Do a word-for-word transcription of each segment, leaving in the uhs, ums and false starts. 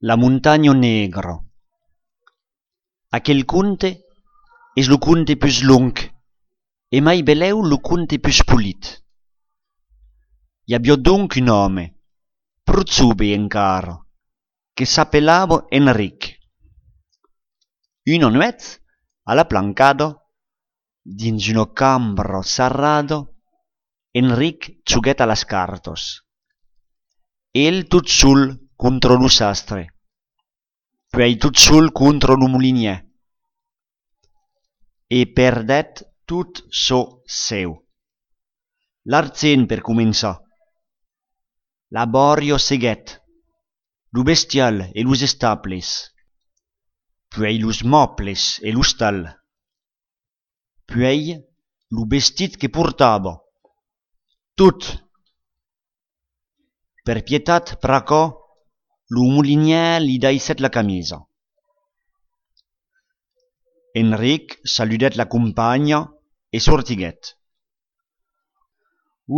La montanha negra. Aquel conte es lo conte pus long e mai belèu lo conte pus polit. I aviá donc un òme, pro jove encara, que s'apelava Enric. Una nuèch, a la plancada, dins una cambra sarrada, Enric joguèt a las cartas. El tot sol contra los astres, puèi tot sol contra lo molinièr, e perdèt tot çò seu. L'argent per començar. La bòria seguèt, lo bestial e los estables, puèi los mòbles e l'ostal. Puèi lo vestit que portava. Tot! Per pietat, pr'aquò, lo molinièr li daissèt la camisa. Enric saludèt la companha e sortiguèt.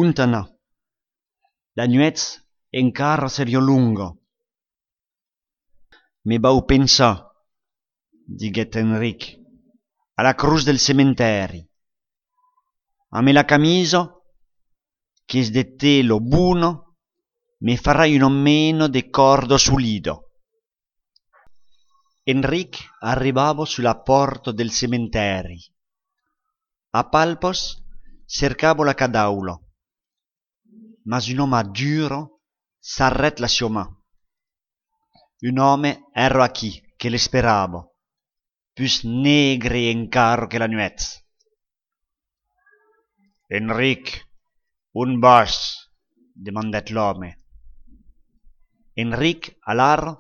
Ont anar? La nuèch encara seriá longa. Me vau pensar, diguèt Enric, a la crotz del cementèri. Amb la camisa, qu'es de tela bona, me farai una mena de còrda solida. Enric arribava sus la pòrta del cementèri. A palpas cercava la cadaula, mas una man dura sarrèt la siá man. Un òme èra aquí que l'esperava, pus negre encara que la nuèch. Enric, ont vas? Demandèt l'òme. Enric, alara,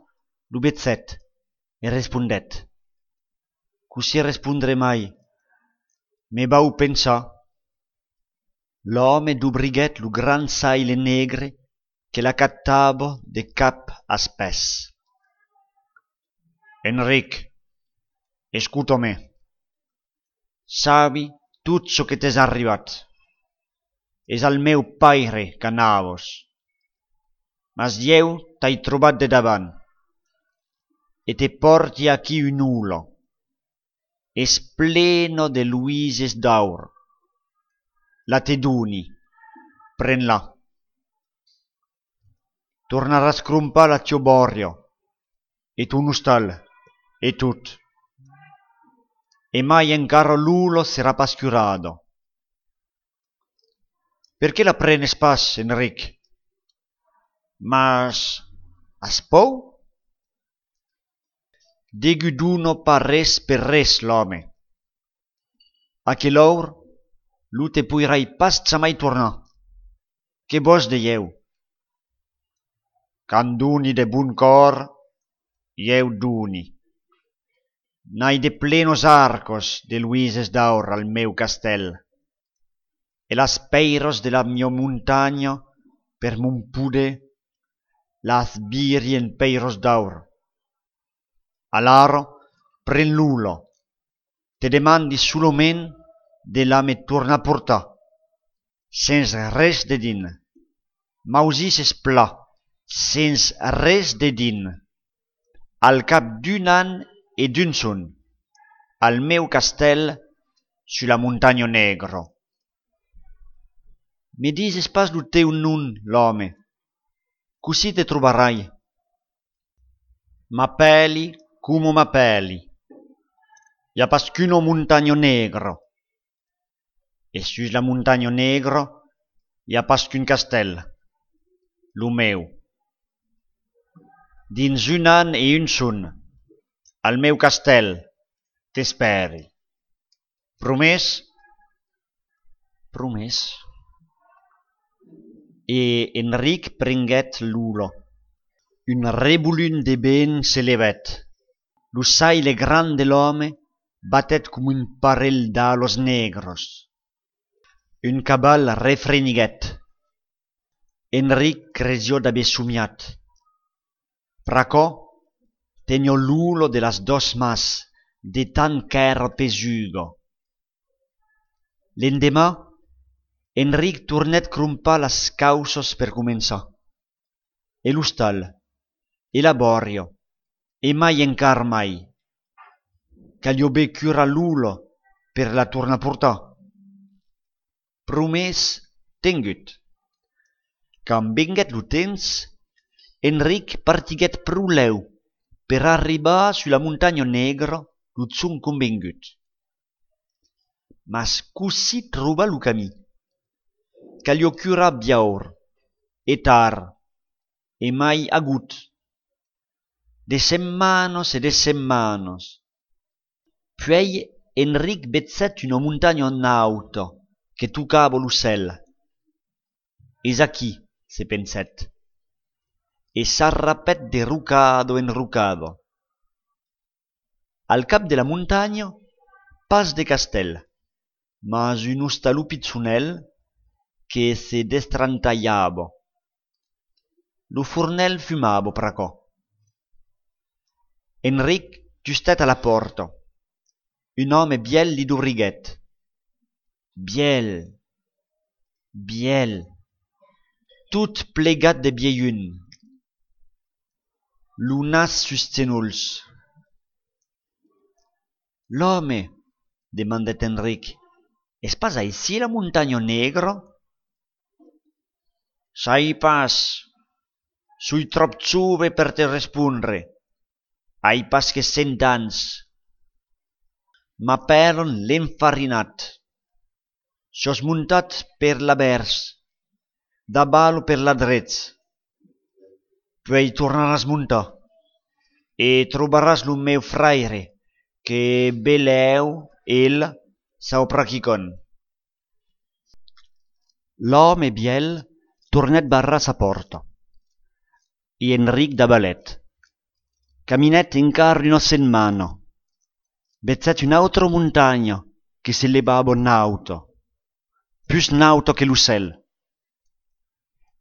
lo vegèt e respondèt: Cossí respondre mai? Me vau pensar. L'òme dobriguèt lo grand saile negre que l'acatava de cap als pès. Enric, escota-me. Sabi tot çò que t'es arribat. Es al meu paire qu'anavas. Mas ieu t'ai trobat de davant e te pòrti aquí una ola. Es plena de luises d'aur. La te doni, pren-la. Tornaràs crompar la tiá bòria e ton ostal e tot. E mai encara l'ola serà pas curada. Perqué la prenes pas, Enric? Mas as paur? Degun dona pas res per res, l'òme. Aquel aur, lo te poirai pas jamai tornar. Que vòs de ieu? Quand doni de bon còr, ieu doni. N'ai de plenas arcas de luises d'aur al meu castèl, e las pèiras de la miá montanha, per mon poder, las viri en pèiras d'aur. Alara, pren l'ola. Te demandi solament de la me tornar portar, sens res dedins. M'ausisses plan, sens res dedins. Al cap d'un an e d'un jorn, al meu castèl, sus la montanha negra. Me dises pas lo teu nom, l'òme. Cossí te trobarai? M'apèli coma m'apèli. I a pas qu'una montanha negra. E sus la montanha negra, i a pas qu'un castèl, lo meu. Dins un an e un jorn, al meu castèl, t'espèri. Promés? Promés. E Enric prenguèt l'ola. Un revolum de vent se levèt. Lo saile grand de l'òme batèt coma un parelh d'alas negras. Un caval refreniguèt. Enric cresiá d'aver somiat. Pr'aquò, teniá l'ola de las doas mans, de tant qu'èra pesuga. L'endeman, Enric tornèt crompar las cauças per començar. E l'ostal, e la bòria, E mai encara mai. Caliá ben curar Lola per la tornar portar. Promés, tengut. Quand venguèt lo temps, Enric partiguèt pro lèu per arribar sus la montanha negra lo jorn convengut. Mas cossí trobar lo camin? Caliá curar biaur, e tard, e mai agut. De setmanas e de setmanas. Puèi Enric vegèt una montanha nauta que tocava lo cèl. Es aquí, se pensèt, e s'arrapèt de rocada en rocada. Al cap de la montanha, pas de castèl, mas un ostalon pichonèl que se destrantalhava. Lo fornèl fumava pr'aquò. Enric tustèt a la pòrta. Un òme vièlh li dobriguèt. Vièlh, vièlh, tot plegat de vielhum, lo nas sus genolhs. L'òme, demandèt Enric, es pas aicí la montanha negra? Sai pas, soi tròp jove per te respondre. Ai pas que cent ans. M'apèlan l'Enfarinat. Siás montat per l'avèrs, davala per l'adrech. Puèi tornaràs montar e trobaràs lo meu fraire que belèu el sauprà quicòm. L'òme vièlh tornèt barrar sa pòrta e Enric davalèt. Caminèt encara una setmana. Vegèt una autra montanha que se levava nauta, pus nauta que lo cèl.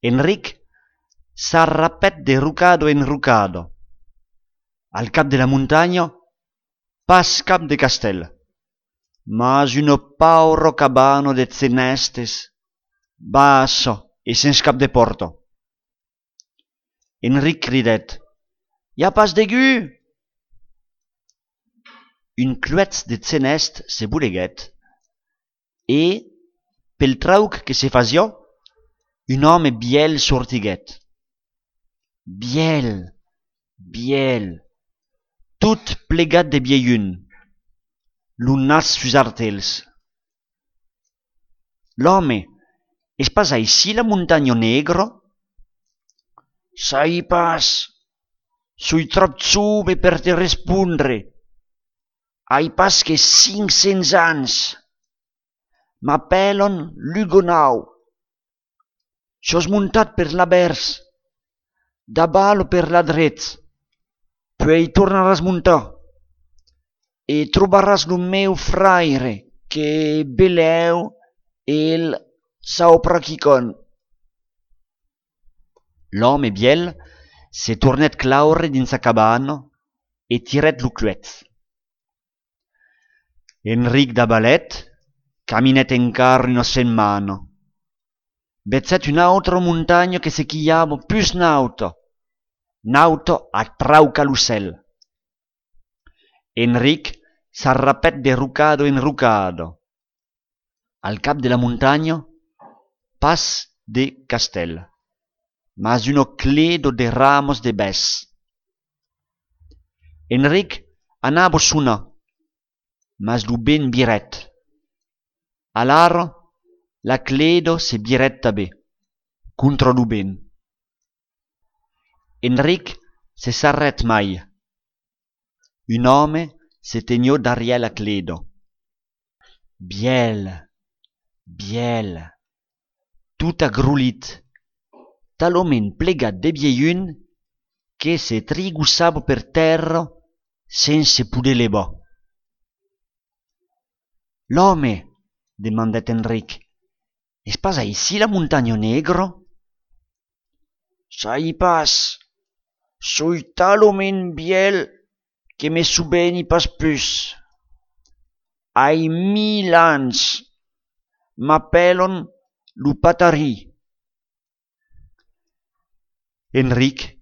Enric s'arrapèt de rocada en rocada. Al cap de la montanha, pas cap de castèl, mas una paura cabana de genèstes, bassa e sens cap de pòrta. Enric cridèt: I a pas degun? Un cluèch de genèst se boleguèt e, pel trauc que se fasiá, un òme vièlh sortiguèt. Vièlh, vièlh, tot plegat de vielhum, lo nas sus artelhs. L'òme, es pas aicí la montanha negra? Sai pas, soi tròp jove per te respondre. Ai pas que cinc cents ans. M'apèlan Lugonau. Siás montat per l'avèrs, davala per l'adrech, puèi tornaràs montar e trobaràs lo meu fraire que belèu el sauprà quicòm. L'òme vièlh se tornèt claure dins sa cabana e tirèt lo cluèch. Enric davalèt, caminèt encara una setmana. Vegèt una autra montanha que se quilhava pus nauta, nauta a traucar lo cèl. Enric s'arrapèt de rocada en rocada. Al cap de la montanha, pas de castèl, mas una cleda de ramas de bèsc. Enric anava sonar, mas lo vent virèt. Alara, la cleda se virèt tanben, contra lo vent. Enric se sarrèt mai. Un òme se teniá darrièr la cleda. Vièlh, vièlh, tot agrolit, talament plegat de vielhum que se trigossava per tèrra sens se poder levar. L'òme, demandèt Enric, es pas aicí la montanha negra? Sai pas, soi talament vièlh que me soveni pas pus. Ai mil ans, m'apèlan lo Patarí. Enric,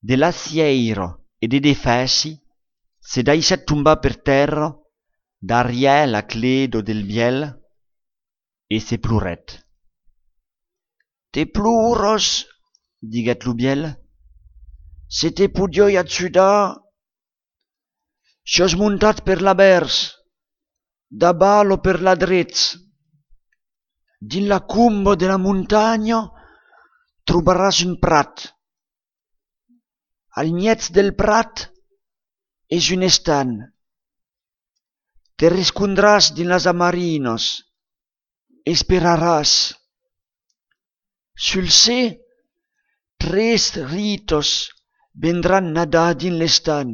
de la sièira e de defèci se daissèt tombar per tèrra darrièr la cleda del vièlh e se plorèt. Te ploras, diguèt lo vièlh, se te podiái ajudar, siás montat per l'avèrs, daval o per l'adrech. Dins la comba de la montanha trobaràs un prat. Al mièg del prat es un estanh. Te rescondràs dins las amarinas, esperaràs. Sul ser, tres ritas vendràn nadar dins l'estanh.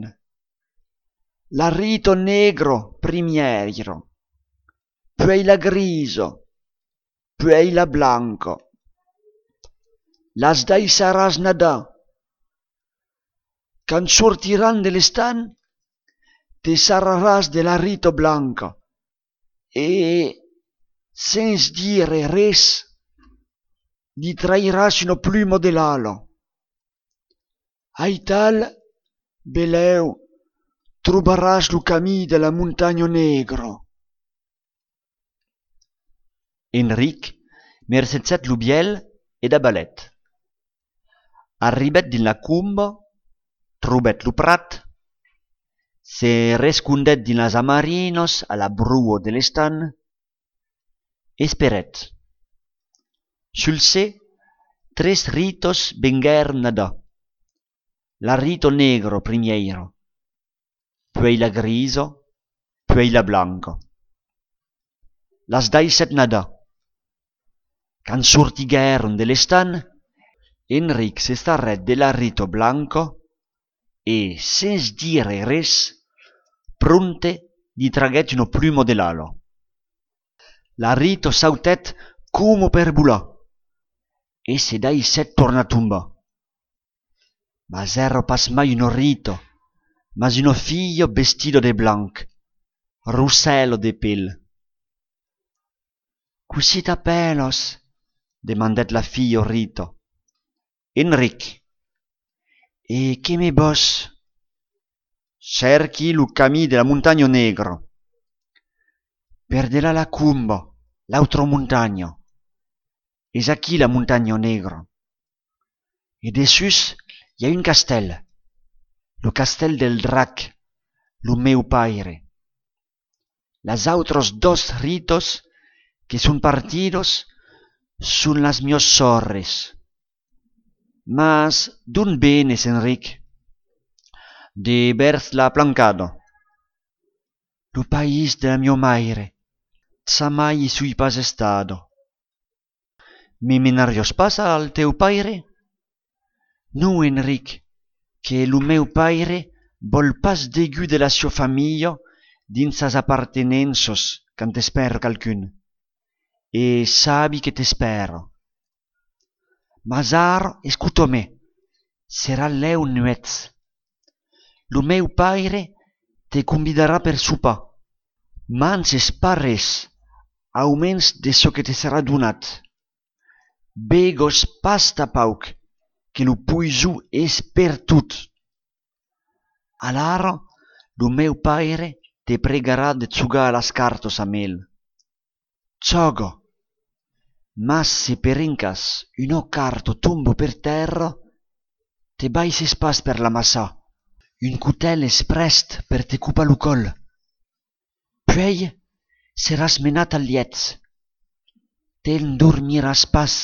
La rita negra primièra, puèi la grisa, puèi la blanca. Las daissaràs nadar. Quand sortiràn de l'estanh, te sarraràs de la rita blanca e, sens dire res, li trairàs una pluma de l'ala. Aital, belèu, trobaràs lo camin de la montanha negra. Enric mercegèt lo vièlh e davalèt. Arribèt dins la comba, trobèt lo prat, se rescondèt dins las amarinas a la broa de l'estanh, esperèt. Sul ser, tres ritas venguèron nadar. La rita negra primièra, puèi la grisa, puèi la blanca. Las daissèt nadar. Quand sortiguèron de l'estanh, Enric se sarrèt de la rita blanca e, sens dire res, prompte li traguèt una pluma de l'ala. La rita sautèt coma per volar e se daissèt tornar tombar. Mas èra pas mai una rita, mas una filha vestida de blanc, rossèla de pel. Cossí t'apèlas? Demandèt la filha rita. Enric. E que me vòs? Cèrqui lo camin de la montanha negra. Per delà la comba, l'autra montanha. Es aquí la montanha negra. E dessús i a un castèl, lo castèl del drac, lo meu paire. Las autras doas ritas que son partidas son las mias sòrres. Mas d'ont venes, Enric? De vèrs la Plancada. Lo país de la mia maire. Jamai i soi pas estada. Me menariás pas al teu paire? Non, Enric, que lo meu paire vòl pas degun de la siá familha dins sas apartenenças quand espèra qualqu'un. E sabi que t'espèra. Mas ara, escota-me, serà lèu nuèch. Lo meu paire te convidarà per sopar. Manges pas res, aumens de çò que te serà donat. Begas pas tanpauc, que lo poison es pertot. Alara, lo meu paire te pregarà de jogar a las cartas amb el. Jòga! Mas se per encàs una carta tomba per tèrra, te baisses pas per l'amassar. Un cotèl es prèst per te copar lo còl. Puèi seràs menat al lièch. T'endormiràs pas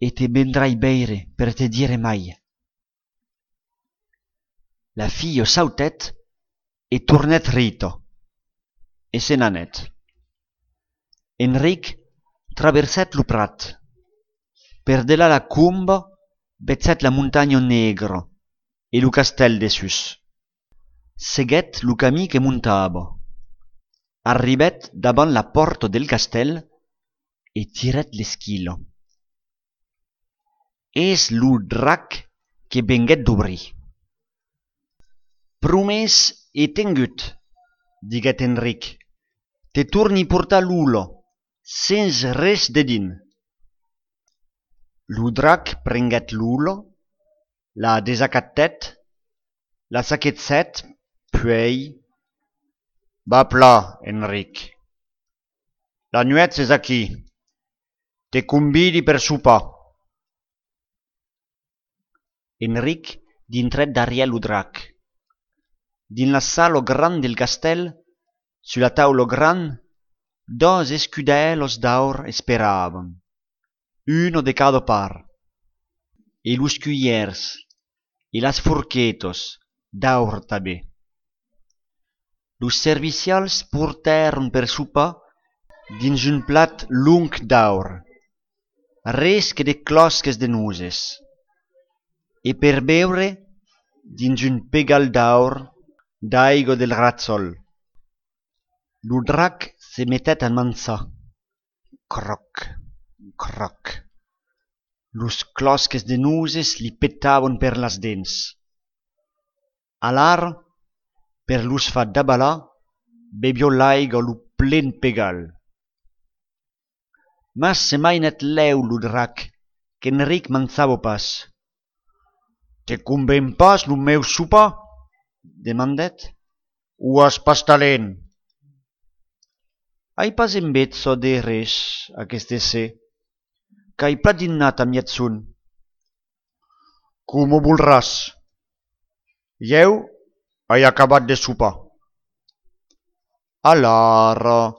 e te vendrai veire per te dire mai. La filha sautèt e tornèt rita, e se n'anèt. Enric traversèt lo prat. Per delà la comba, vegèt la montanha negra e lo castèl dessús. Seguèt lo camin que montava. Arribèt davant la pòrta del castèl e tirèt l'esquila. Es lo drac que venguèt dobrir. Promés e tengut, diguèt Enric, te torni portar l'ola, sens res dedins. Lo drac prenguèt l'ola, la desacatèt la saquegèt, puèi: Va plan, Enric. La nuèch es aquí. Te convidi per sopar. Enric dintrèt darrièr lo drac. Dins la sala granda del castèl, sus la taula granda, doas escudèlas d'aur esperavan, una de cada part, e los culhièrs e las forquetas d'aur tanben. Los servicials portèron per sopar dins un plat long d'aur, res que de clòsques de noses, e per beure dins un pegal d'aur d'aiga del rajòl. Lo drac se metèt a manjar. Cròc, cròc. Los clòsques de noses li petavan per las dents. Alara, per los far davalar, beviá l'aiga lo plen pegal. Mas se mainèt lèu lo drac, qu'Enric manjava pas. Te conven pas lo meu sopar? Demandèt. O as pas talent? Ai pas enveja de res aqueste ser. Qu'ai plan dinat a miègjorn. Coma volràs. Ieu ai acabat de sopar. Alara,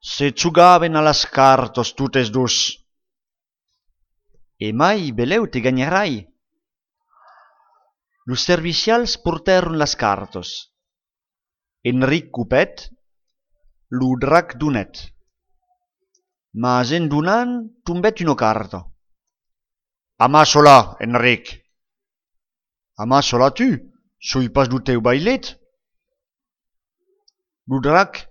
se jogavan a las cartas totes dos. E mai, belèu te ganharai. Los servicials portèron las cartas. Enric copèt, lo drac donèt. Mas en donant tombèt una carta. Amassa-la, Enric. Amassa-la tu, soi pas lo teu vailet. Lo drac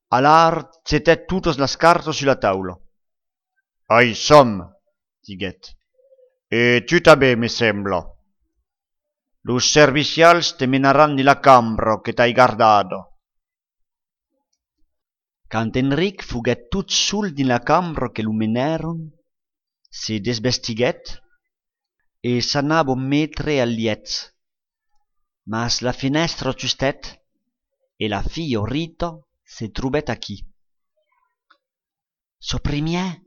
alara jetèt totas las cartas sus la taula. Ai som, diguèt. E tu tanben, me sembla. Los servicials te menaràn dins la cambra que t'ai gardada. Quand Enric foguèt tot sol dins la cambra que lo menèron, se desvestiguèt e s'anava metre al lièch. Mas la fenèstra tustèt e la filha Rita se trobèt aquí. Çò primièr,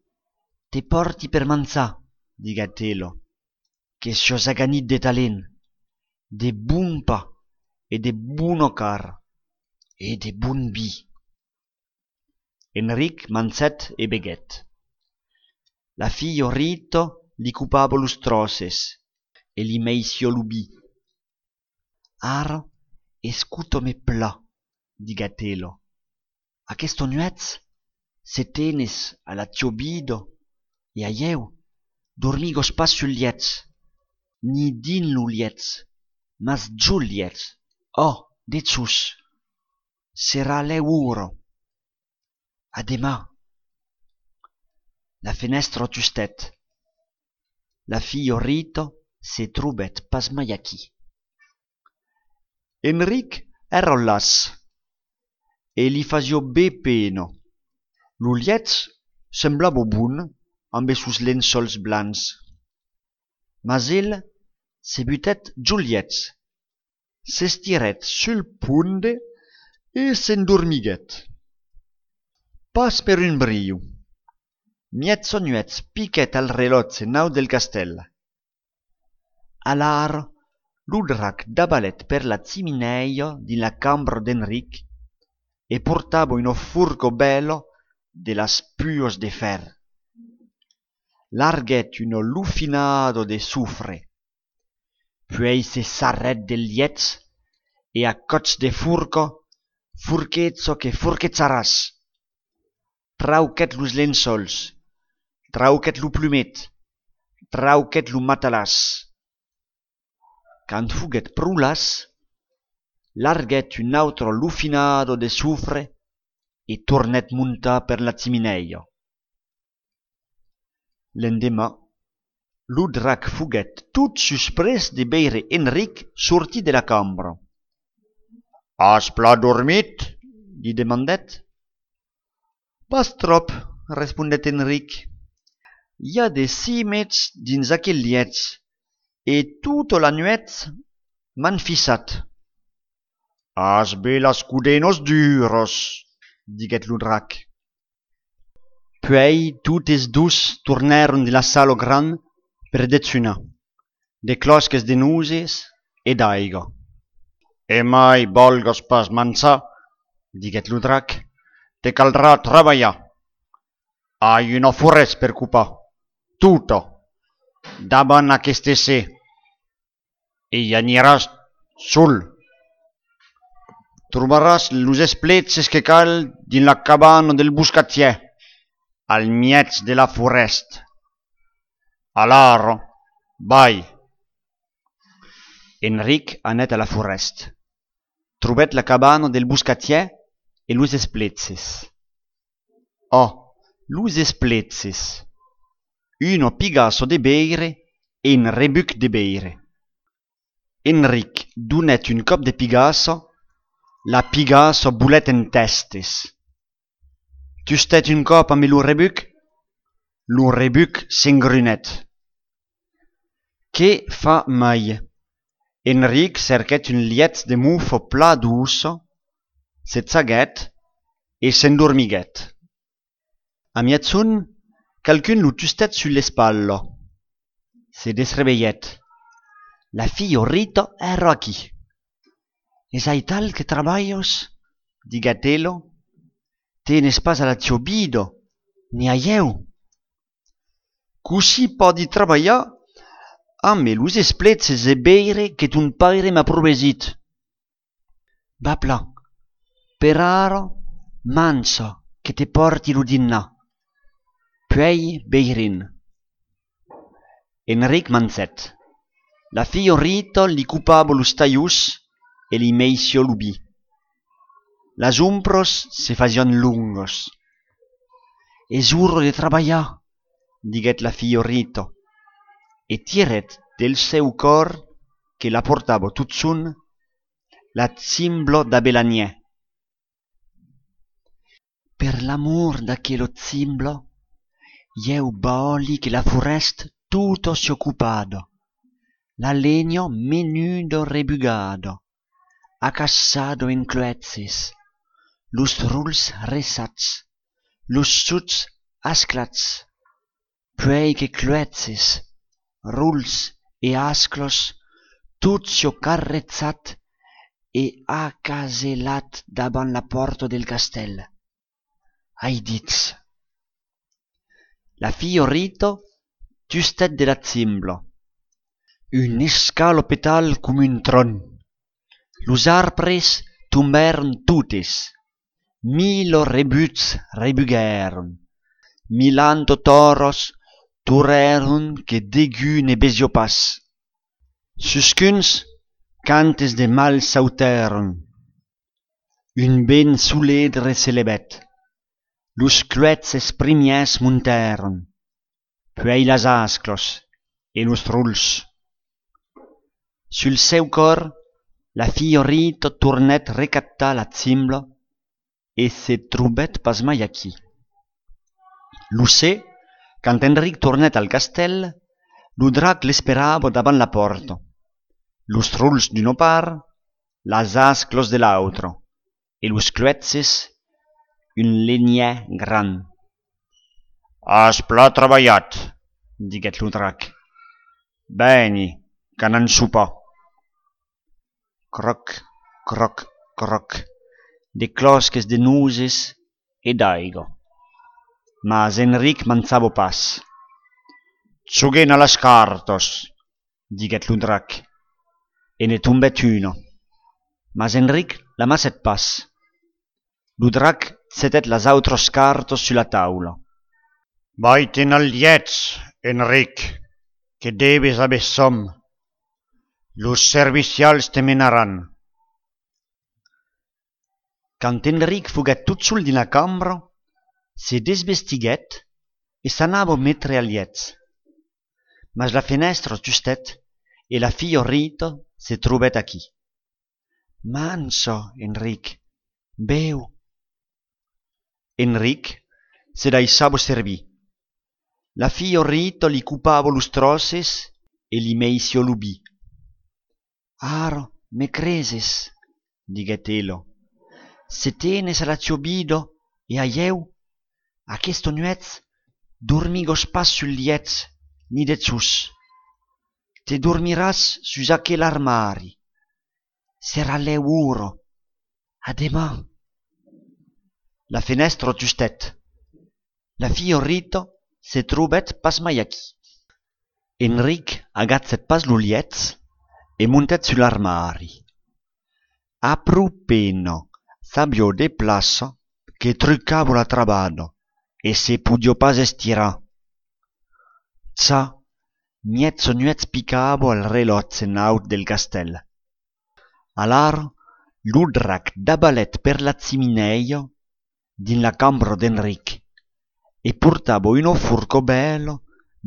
te pòrti per manjar, diguèt ela, que siás aganit de talent, de bon pan e de bona carn e de bon vin. Enric mangèt e beguèt. La filha Rita li copava los tròces e li meissiá lo vin. Ara, escota-me plan, diguèt ela. Aquesta nuèch, se tenes a la tiobida e a ieu, dormigas pas sul lièch, ni dins lo lièch, mas jol lièch, ò, dejós. Serà lèu ora. A deman. La fenèstra tustèt. La filha Rita se trobèt pas mai aquí. Enric èra las e li fasiá ben pena. Lo lièch semblava bon ambe sos lençòls blancs. Mas el se butèt jol lièch, s'estirèt sul ponde e s'endormiguèt. Pas per un briu. Mièja nuèch piquèt al relòtge nau del castèl. Alara, lo drac davalèt per la chiminèia dins la cambra d'Enric e portava una forca bèla de las puas de fèr. Larguèt una lofinada de sofre. Puèi se sarrèt del lièch e a còps de forca, forqueja que forquejaràs! Trauquèt los lençòls, trauquèt lo plumet, trauquèt lo matalàs. Quand foguèt pro las, larguèt una autra lofinada de sofre e tornèt montar per la chiminèia. L'endeman, lo drac foguèt tot susprés de veire Enric sortir de la cambra. As plan dormit? Li demandèt. Pas tròp, respondèt Enric. I a de simets dins aquel lièch e tota la nuèch m'an fissat. As be las codenas duras, diguèt lo drac. Puèi totes dos tornèron dins la sala grand per dejunar, de clòsques de noses e d'aiga. E mai vòlgas pas manjar, diguèt lo drac, te caldrà trabalhar. Ai una forèst per copar, tota, davant aqueste ser. E i aniràs sol. Trobaràs los espleches que cal dins la cabana del boscatièr, al mièg de la forèst. Alara, vai. Enric anèt a la forèst. Trobèt la cabana del boscatièr e los espleches. Ò, los espleches! Una pigassa de veire e un rebuc de veire. Enric donèt un còp de pigassa, la pigassa volèt en tèstes. Tustèt un còp ambe lo rebuc, lo rebuc s'engronèt. Que far mai? Enric cerquèt un lièch de mofa plan doça, se chaguèt e s'endormiguèt. A miègjorn, qualqu'un lo tustèt sus l'espatla. Se desrevelhèt. La filha Rita èra aquí. Es aital que trabalhas? Diguèt ela. Tenes pas a la tia vida, ni a ieu. Cossí pòdi trabalhar ambe los espleches e veire que ton paire m'a promesit? Va plan, per ara, manja que te pòrti lo dinnar, puèi veirem. Enric mangèt. La filha Rita li copava los talhons e li meissiá lo vin. Las ombras se fasián longas. Es ora de trabalhar, diguèt la filha Rita, e tirèt del seu còr, que la portava totjorn, la chimbla d'Abelanièr. Per l'amor d'aquela chimbla, ieu vòli que la forèst tota siá copada, la lenha menuda rebugada, acassada en cloèches, los rols ressats, los sots asclats, puèi que cloèches, rols e asclas, tot siá carrejat e acaselat davant la pòrta del castèl. Ai dit. La filha Rita tustèt de la chimbla. Un escalopetal coma un tròn. Los arbres tombèron totes. Mila rebucs rebuguèron. Milanta tòras torrèron que degun ne vesiá pas. Susqu'uns cantes de mal sautèron. Un vent soledre se levèt. Los cloèches primièrs montèron, puèi las asclas e los rols. Sul seu còr, la filha Rita tornèt recaptar la chimbla e se trobèt pas mai aquí. Lo ser, quand Enric tornèt al castèl, lo drac l'esperava davant la pòrta. Los rols d'una part, las asclas de l'autra, e los cloèches un lenhièr grand. As plan trabalhat, diguèt lo drac. Vèni, qu'anam sopar. Cròc, cròc, cròc, de clòsques de noses e d'aiga. Mas Enric manjava pas. Joguem a las cartas, diguèt lo drac, e ne tombèt una. Mas Enric l'amassèt pas. Lo drac jetèt las autras cartas sus la taula. Vai-te'n al lièch, Enric, que deves aver sòm. Los servicials te menaràn. Quand Enric foguèt tot sol dins la cambra, se desvestiguèt e s'anava metre al lièch. Mas la fenèstra justèt e la filha Rita se trobèt aquí. Mansa, Enric, beu. Enric se daissava servir. La filha Rita li copava los tròces e li meissiá lo vin. Ara, me creses? diguèt ela. Se tenes a la tiò vida e a ieu, aquesta nuèch dormigas pas sul lièch ni dessús. Te dormiràs sus aquel armari. Serà lèu ora. A deman. La fenèstra tustèt. La filha Rita se trobèt pas mai aquí. Enric agachèt pas lo lièch e montèt sul armari. A pro pena s'aviá de plaça que trucava la trabada e se podiá pas estirar. Cha, mièja nuèch picava al relòtge naut del castèl. Alara, lo drac davalèt per la chiminèia dins la cambra d'Enric e portava una forca bèla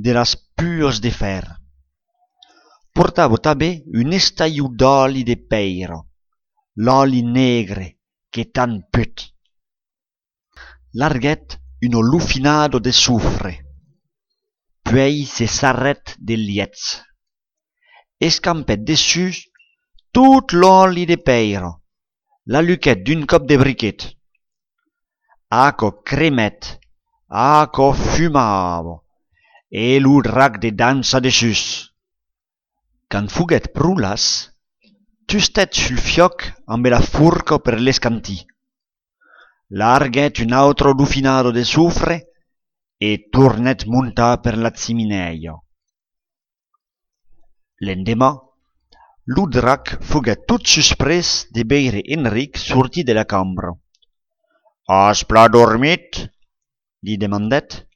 de las puas de fèr. Portava tanben un estalhon d'òli de pèira, l'òli negre que tant put. Larguèt una lofinada de sofre, puèi se sarrèt del lièch. Escampèt dessús tot l'òli de pèira, l'aluquèt d'un còp de briquet. Aquò cremèt, aquò fumava, e lo drac de dançar dessús. Quand foguèt pro las, tustèt sul fiòc ambe la forca per l'escantir. Larguèt una autra lofinada de sofre e tornèt montar per la chiminèia. L'endeman, lo drac foguèt tot susprés de veire Enric sortir de la cambra. As plan dormit? Li demandèt.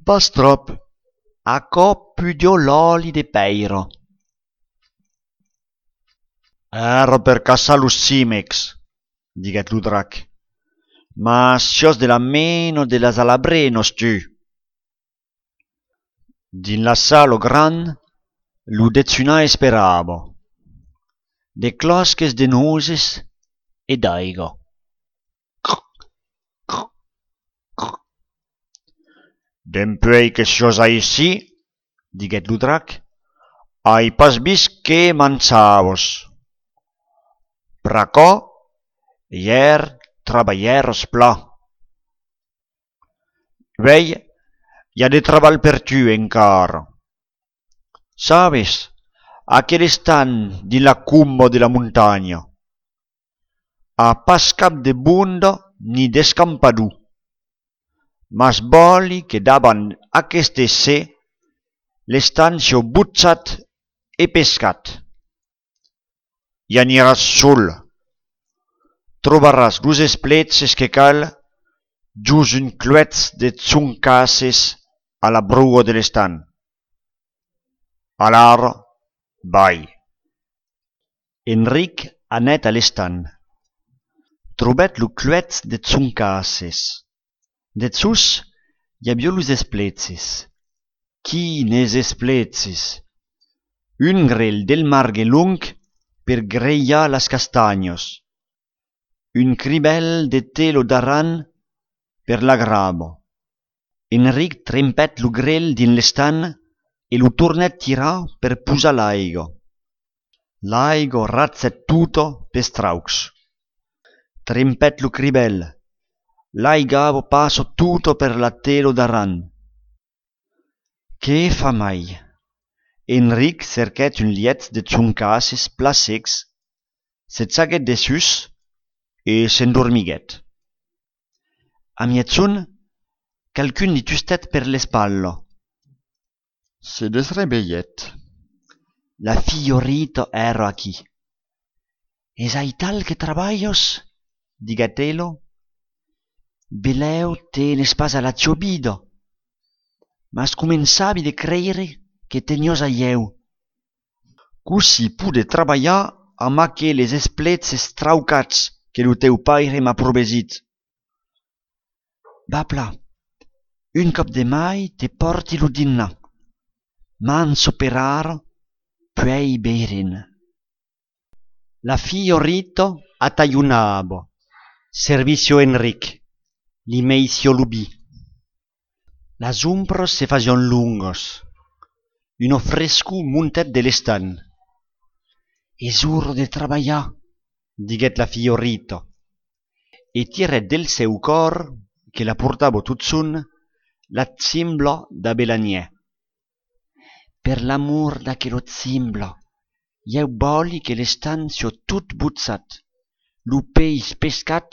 Pas tròp. Aquò pudiá l'òli de pèira. Èra per caçar los chimecs, diguèt lo drac. Mas siás de la mena de las alabrenas, tu. Dins la sala grand, lo dejunar esperava. De clòsques de noses e d'aiga. Dempuèi que siás aicí, diguèt lo drac, ai pas vist que manjavas. Pr'aquò, ièr trabalhèras plan. Uèi, i a de trabalh per tu encara. Sabes, aquel estanh dins la comba de la montanha a pas cap de bonda ni d'escampador. Mas vòli que davant aqueste ser l'estanh siá bochat e pescat. I aniràs sol. Trobaràs los espleches que cal jos un cluèch de joncasses a la broa de l'estanh. Alara, vai. Enric anèt a l'estanh. Trobèt lo cluèch de joncasses. Dessús, i aviá los espleches. Quines espleches! Un grelh del margue long per grelhar las castanhas. Un cribèl de tela d'aran per la grava. Enric trempèt lo grelh dins l'estanh e lo tornèt tirar per posar l'aiga. L'aiga rachèt tota pels traucs. Trempèt lo cribèl. L'aiga passa tota per la tela d'aran. Que fa mai! Enric cerquèt un lièch de joncasses plan secs, se jaguèt dessús e s'endormiguèt. A miègjorn, qualqu'un li tustèt per l'espatla. Se desrevelhèt. La filha Rita èra aquí. Es aital que trabalhas? Diguèt ela. Belèu tenes pas a la tiò vida, mas començavi de creire que teniás a ieu. Cossí poder trabalhar amb aqueles espleches traucats que lo teu paire m'a provesit? Va plan, un còp de mai te pòrti lo dinnar. Mancha per ara, puèi veirem. La filha Rita atalhonava, servissiá Enric, li meissiá lo vin. Las ombras se fasián longas. Una frescor montèt de l'estanh. Es ora de trabalhar, diguèt la filha Rita, e tirèt del seu còr, que la portava totjorn, la chimbla dab la nièu. Per l'amor d'aquela chimbla, ieu vòli que l'estanh siá tot bochat, lo peis pescat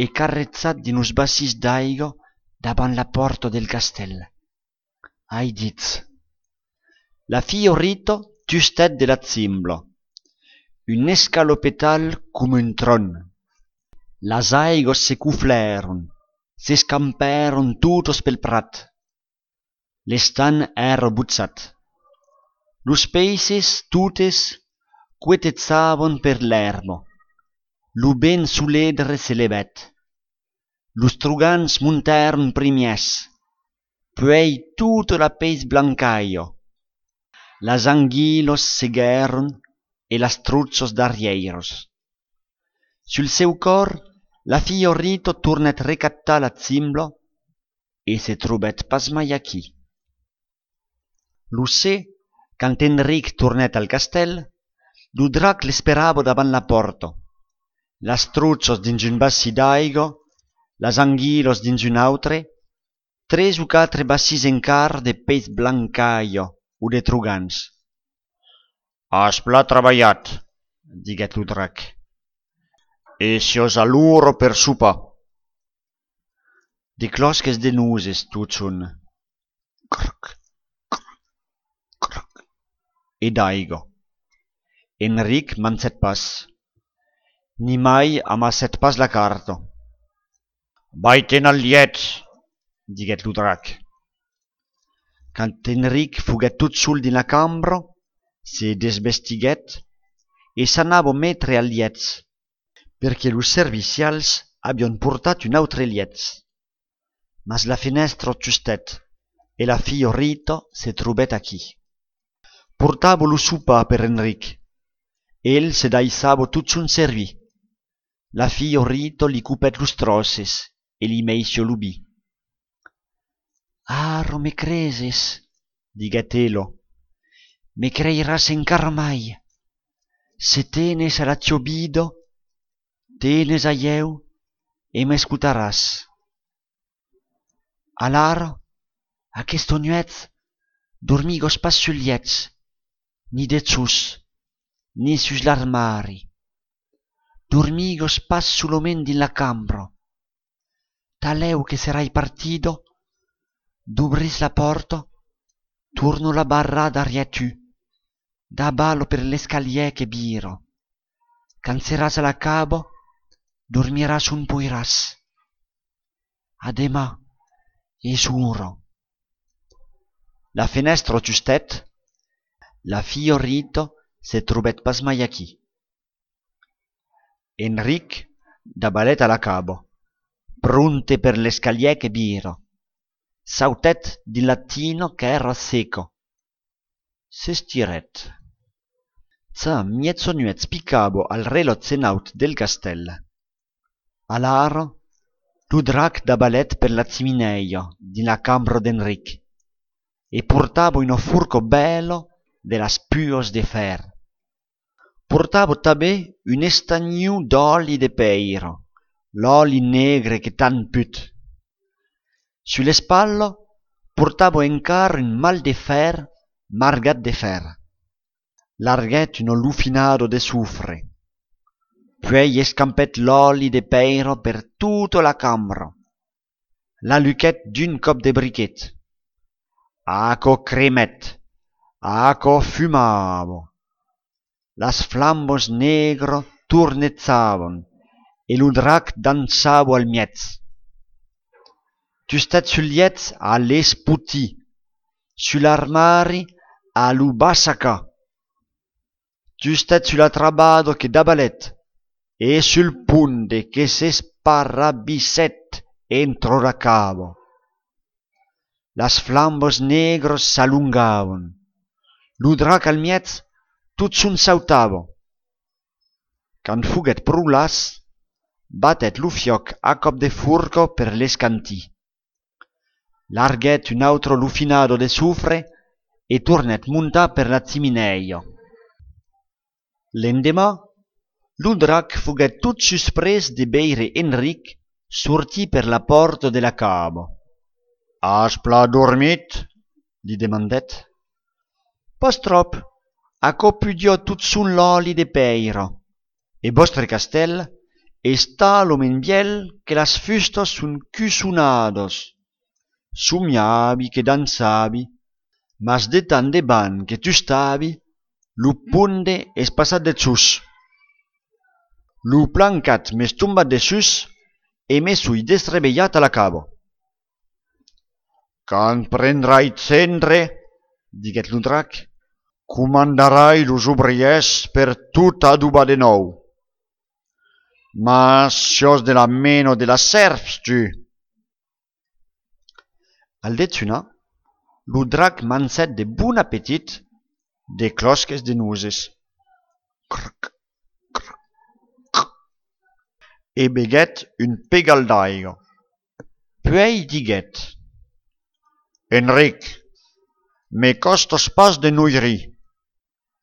e carrejat dins los bacins d'aiga davant la pòrta del castèl. Ai dit. La filha Rita tustèt de la chimbla. Un escalopetal coma un tròn. Las aigas se coflèron, s'escampèron totas pel prat. L'estanh èra bochat. Los peisses totes coetejavan per l'èrba. Lo vent soledre se levèt. Los trogans montèron primièrs, puèi tota la peis blancalha. Las anguilas seguèron e las trochas darrièiras. Sul seu còr, la filha Rita tornèt recaptar la chimbla e se trobèt pas mai aquí. Lo ser, quand Enric tornèt al castèl, lo drac l'esperava davant la pòrta. Las trochas dins un bacin d'aiga, las anguilas dins un autre, tres o quatre bacins encara de peis blancalha o de trogans. As plan trabalhat, diguèt lo drac, e siás a l'ora per sopar. De clòsques de noses totjorn. Croc, croc, croc. E d'aiga. Enric mangèt pas. Nimai amassèt pas la carta. Vai-te'n al lièch, diguèt lo drac. Quand Enric foguèt tot sol dins la cambra, se desvestiguèt e s'anava metre al lièch, perque los servicials avián portat un autre lièch. Mas la fenèstra tustèt e la filha Rita se trobèt aquí. Portava lo sopar per Enric. El se daissava totjorn servir. La filha Rita li copèt los tròces e li meissiá lo vin. Ara me creses, diguèt ela, me creiràs encara mai. Se tenes a la tiá vida, tenes a ieu e m'escotaràs. Alara, aquesta nuèch, dormigas pas sul lièch, ni dejós, ni sus l'armari. Dormigas pas solament dins la cambra. Talèu que serai partida, dobris la pòrta, torna la barrar darrièr tu, davala per l'escalièr que vira. Quand seràs a la cava, dormiràs ont poiràs. A deman, es ora. La fenèstra tustèt, la filha Rita se trobèt pas mai aquí. Enric davalèt a la cava, pronte per l'escalièr que vira. Sautèt dins la tina qu'èra seca. S'estirèt. Ja mièjanuèch picava al relòtge naut del castèl. Alara, lo drac davalèt per la chiminèia dins la cambra d'Enric e portava una forca bèla de las puas de fèr. Portava tanben un estanhon d'òli de pèira, l'òli negre que tant put. Sus l'espatla portava encara un mal de fèr margat de fèr. Larguèt una lofinada de sofre. Puèi escampèt l'òli de pèira per tota la cambra. L'aluquèt d'un còp de briquet. Aquò cremèt, aquò fumava. Las flambas negras tornejavan e lo drac dançava al mièg. Tustèt sul lièch a l'espotir, sul armari a lo bassacar. Tustèt sus la trabada que davalèt e sul ponde que s'esparrabissèt entra la cava. Las flambas negras s'alongavan. Lo drac al mièg totjorn sautava. Quand foguèt pro las, batèt lo fiòc a còp de forca per l'escantir. Larguèt una autra lofinada de sofre e tornèt montar per la chiminèia. L'endeman, Lo drac foguèt tot susprés de veire Enric sortir per la pòrta de la cava. As plan dormit? Li demandèt. Pas tròp, aquò pudiá tot son l'òli de pèira. E vòstre castèl es talament vièlh que las fustas son cussonadas. Somiavi que dançavi, mas de tant de vent que tustavi, lo ponde es passat dessús. Lo plancat m'es tombat dessús e me soi desrevelhat a la cava. Quand prendrai cendre, diguèt lo drac, comandarai los obrièrs per tot adobar de nòu. Mas siás de la mena de las sèrps, tu! Al dejunar, lo drac mangèt de bon apetit de clòsques de noses. Crc, crc, crc. E beguèt un pegal d'aiga. Puèi diguèt: Enric, me còstas pas de noirir,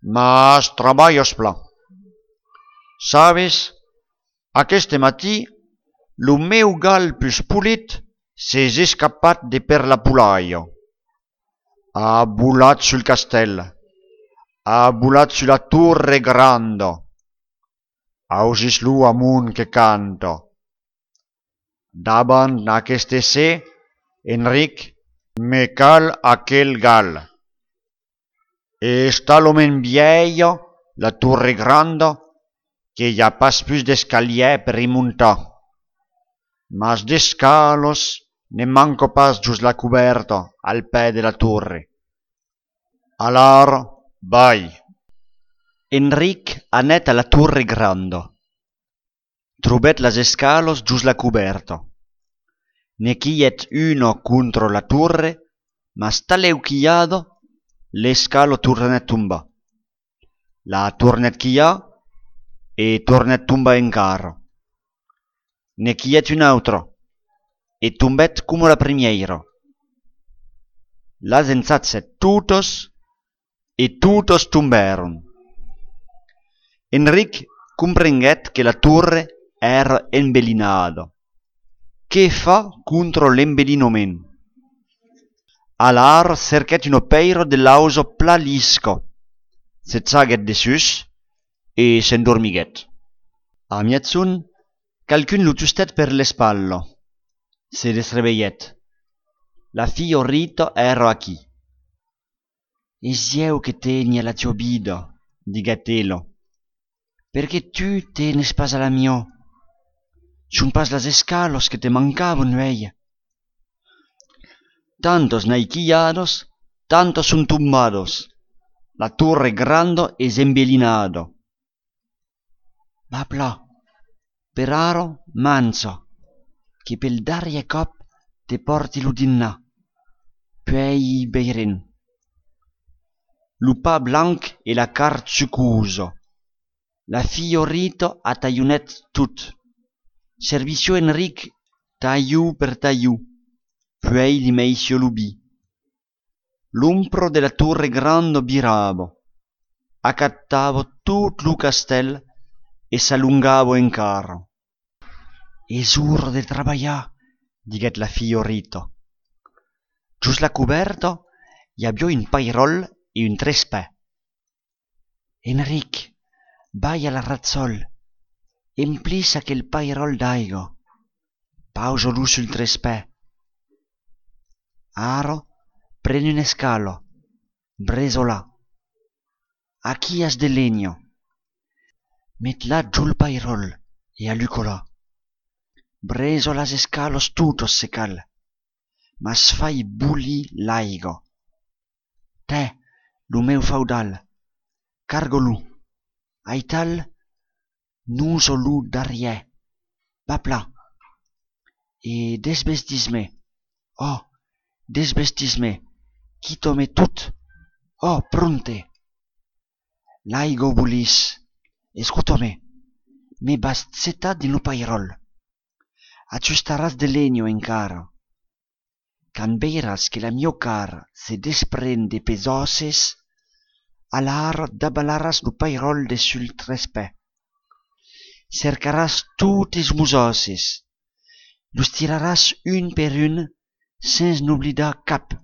mas trabalhas plan. Sabes, aqueste matin, lo meu gal pus polit s'es escapat de per la polalha. A volat sul castèl, a volat sus la torre granda. Ausís-lo amont que canta. Davant aqueste ser, Enric, me cal aquel gal. E es talament vièlha la torre granda que i a pas pus d'escalièr per i montar. Mas d'escalas ne manca pas jos la cobèrta al pè de la torre. Alara, vai! Enric anèt a la torre granda. Trobèt las escalas jos la cobèrta. Ne quilhèt una contra la torre, mas talèu quilhada, l'escala tornèt tombar. La tornèt quilhar e tornèt tombar encara. Ne quilhèt una autra e tombèt coma la primièira. Las ensagèt totas e totas tombèron. Enric comprenguèt que la torre èra envelinada. Que far contra l'envelinament? Alara cerquèt una pèira de lausa plan lisca, se jaguèt dessús e s'endormiguèt. A miègjorn, qualqu'un lo tustèt per l'espatla. Se desrevelhèt. La filha Rita èra aquí. Es ieu que teni a la tiá vida, diguèt ela. Perqué tu tenes pas a la miá? Son pas las escalas que te mancavan, uèi? Tantas n'ai quilhadas, tantas son tombadas. La torre granda es envelinada. Va plan, per ara, manja, que pel darrièr còp te pòrti lo dinnar, puèi veirem. Lo pan blanc e la carn sucosa. La filha Rita atalhonèt tot. Servissiá Enric talhon per talhon, puèi li meissiá lo vin. L'ombra de la torre granda virava, acatava tot lo castèl e s'alongava encara. Es ora de trabalhar, diguèt la filha Rita. Jos la cobèrta i aviá un pairòl e un trespè. Enric, vai a la ratsòl, emplís aquel pairòl d'aiga, pausa-lo sul trespè. Ara, pren una escala, bresa-la. Aquí as de lenha. Met-la jol pairòl e aluca-la. Bresa las escalas totas se cal, mas fai bolir l'aiga. Tè, lo meu faudal, carga-lo. Aital, nosa lo darrièr. Va plan. E desvestís-me. Ò, desvestís-me. Quita-me tot. Ò, pronte. L'aiga bolís. Escota-me. Me vas getar dins lo pairòl. Ajustaràs de lenha encara. Quand veiràs que la miá carn se despren de pes òsses, alara davalaràs lo pairòl de sul trespè. cercaràs totes mos òsses, los tiraràs un per un sens n'oblidar cap.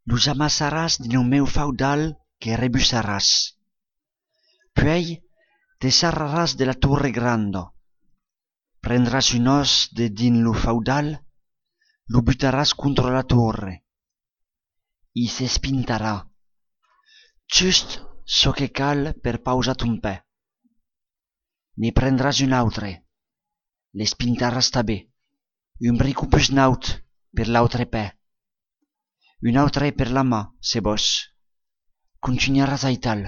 Los amassaràs dins lo meu faudal que rebussaràs. Puèi te sarraràs de la torre granda. Prendràs un òs de dins lo faudal, lo butaràs contra la torre. I s'espintarà. Just çò que cal per pausar ton pè. Ne prendràs un autre. L'espintaràs tanben. Un bric pus naut per l'autre pè. Un autre per la man, se vòs. Contunharàs aital.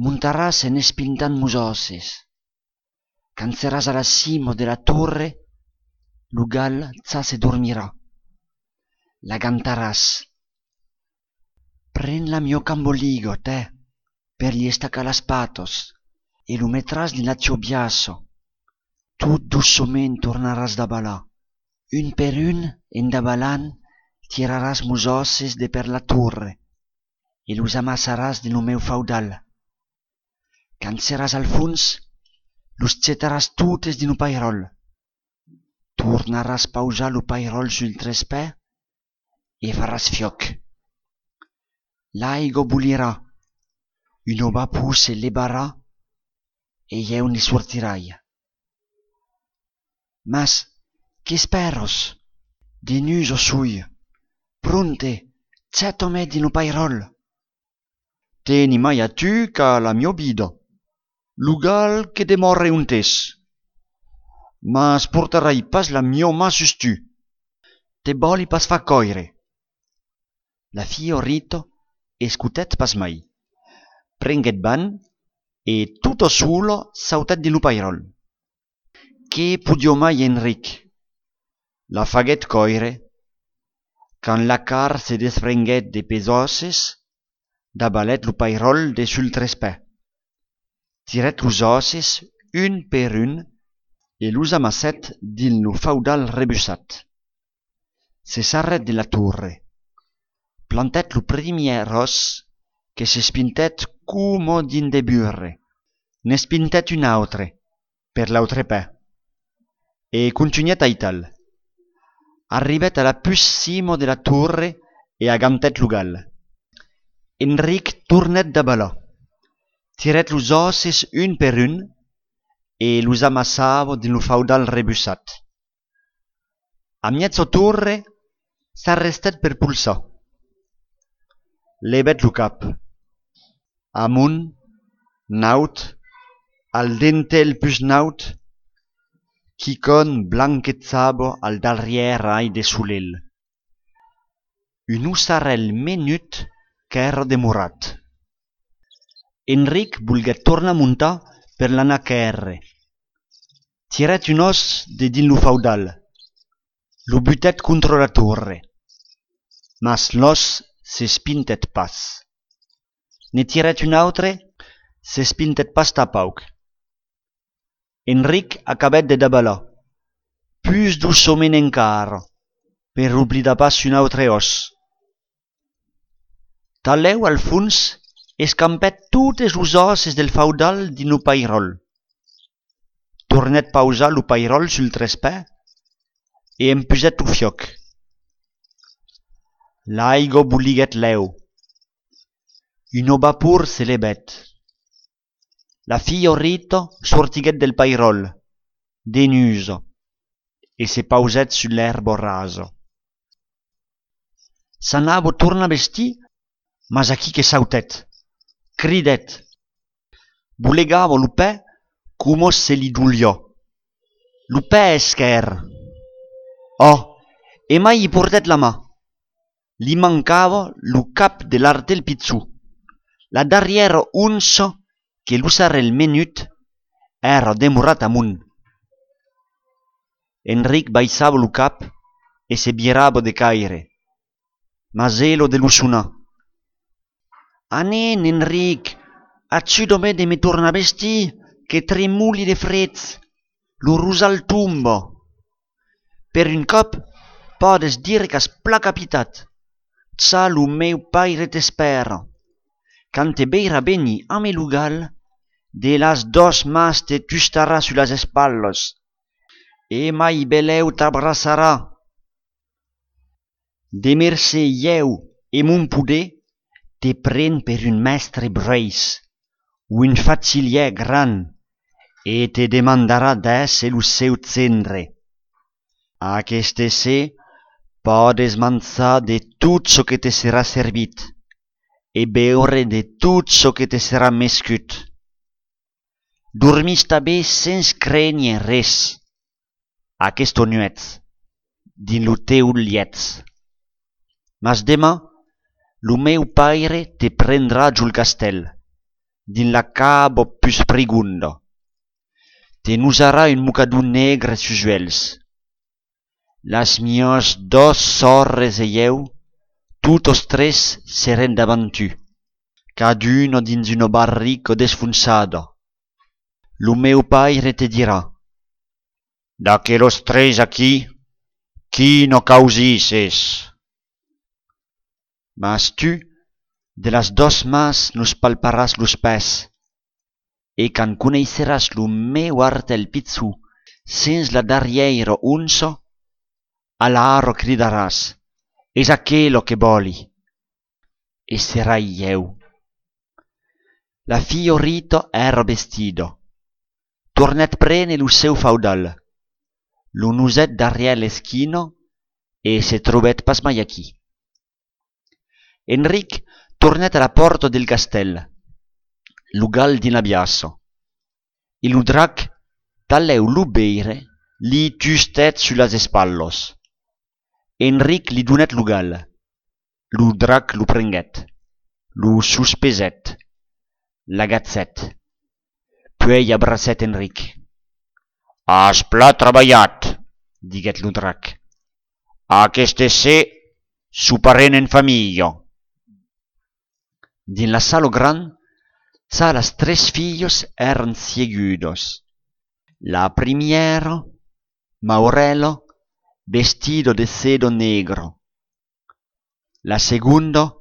Montaràs en espintant mos òsses. Quand seràs a la cima de la torre, lo gal ja se dormirà. L'agantaràs. Pren la miá camboliga, tè, per li estacar las patas, e lo metràs dins la tiá biaça. Tot doçament tornaràs davalar. Un per un, en davalant, tiraràs mos òsses de per la torre e los amassaràs dins lo meu faudal. Quand seràs al fons, los getaràs totes dins lo pairòl. Tornaràs pausar lo pairòl sul trespè e faràs fiòc. L'aiga bolirà, una vapor se levarà e ieu ne sortirai. Mas, qu'espèras? Denusa soi. Pronte, geta-me dins lo pairòl. Teni mai a tu qu'a la miá vida. Lo gal que demòre ont es. Mas portarai pas la miá man sus tu. Te vòli pas far còire. La filha Rita escotèt pas mai. Prenguèt van e tota sola sautèt dins lo pairòl. Que podiá mai Enric? La faguèt còire. Quand la carn se desprenguèt de pes òsses, davalèt lo pairòl de sul trespè. Tirèt los òsses un per un e los amassèt dins lo faudal rebussat. Se sarrèt de la torre. Plantèt lo primièr òs que s'espintèt coma dins de burre. N'espintèt un autre per l'autre pè. E contunhèt aital. Arribèt a la pus cima de la torre e agantèt lo gal. Enric tornèt davalar. Tirèt los òsses un per un e los amassava dins lo faudal rebussat. A mièja torre s'arrestèt per polsar. Levèt lo cap. Amont, naut, al dentelh pus naut, quicòm blanquejava al darrièr rai de solelh. Un ossarèl menut qu'èra demorat. Enric volguèt tornar montar per l'anar quèrre. Tirèt un òs de dins lo faudal. Lo butèt contra la torre. Mas l'òs s'espintèt pas. Ne tirèt un autre, s'espintèt pas tanpauc. Enric acabèt de davalar, pus doçament encara, per oblidar pas un autre òs. Talèu al fons escampèt totes los òsses del faudal dins lo pairòl. Tornèt pausar lo pairòl sul trespè e empusèt lo fiòc. L'aiga boliguèt lèu. Una vapor se levèt. La filha Rita sortiguèt del pairòl, denusa, e se pausèt sus l'èrba rasa. S'anava tornar vestir, mas aquí que sautèt, cridèt, bolegava lo pè coma se li doliá. Lo pè esquèrre! Ò! E mai i portèt la man. Li mancava lo cap de l'artelh pichon. La darrièra onça que l'ossarèl menut èra demorat amont. Enric baissava lo cap e se virava de caire. Mas ela de lo sonar. Anem, Enric, ajuda-me de me tornar vestir, que tremoli de fred. Lo rosal tomba. Per un còp, pòdes dire qu'as plan capitat. Ja lo meu paire t'espèra. Quand te veirà venir amb lo gal, de las dos mans te tustarà sus las espatlas e mai belèu t'abraçarà. De mercé, ieu e mon poder te pren per un mèstre bruèis, un fachilièr grand, e te demandarà d'èsser lo seu gendre. Aqueste ser pòdes manjar de tot çò que te serà servit e beure de tot çò que te serà mescut. Dormís tanben sens crénher res aquesta nuèch dins lo teu lièch. Mas deman, lo meu paire te prendrà jol castèl, dins la cava pus prigonda. Te nosarà un mocador negre sus uèlhs. Las mias dos sòrres e ieu, totas tres serem davant tu, caduna dins una barrica desfonçada. Lo meu paire te dirà: D'aquelas tres aquí, quina causís es? Mas tu, de las dos mans nos palparàs los pès, e quand coneisseràs lo meu artèl pichon sens la darrièira onça, alara cridaràs: Es aquela que vòli! E serai ieu. La filha Rita èra vestida. Tornèt prene lo seu faudal. Lo nosèt darrièr l'esquina e se trobèt pas mai aquí. Enric tornèt a la pòrta del castèl, lo gal dins la biaça, e lo drac, talèu lo veire, li tustèt sus las espatlas. Enric li donèt lo gal. Lo drac lo prenguèt, lo sospesèt, l'agachèt, puèi abracèt Enric. As plan trabalhat, diguèt lo drac. Aqueste ser soparem en familha. Dins la sala grand, ja las tres filhas èran siegudas. La primièra, Maurèla, vestida de seda negra. La segonda,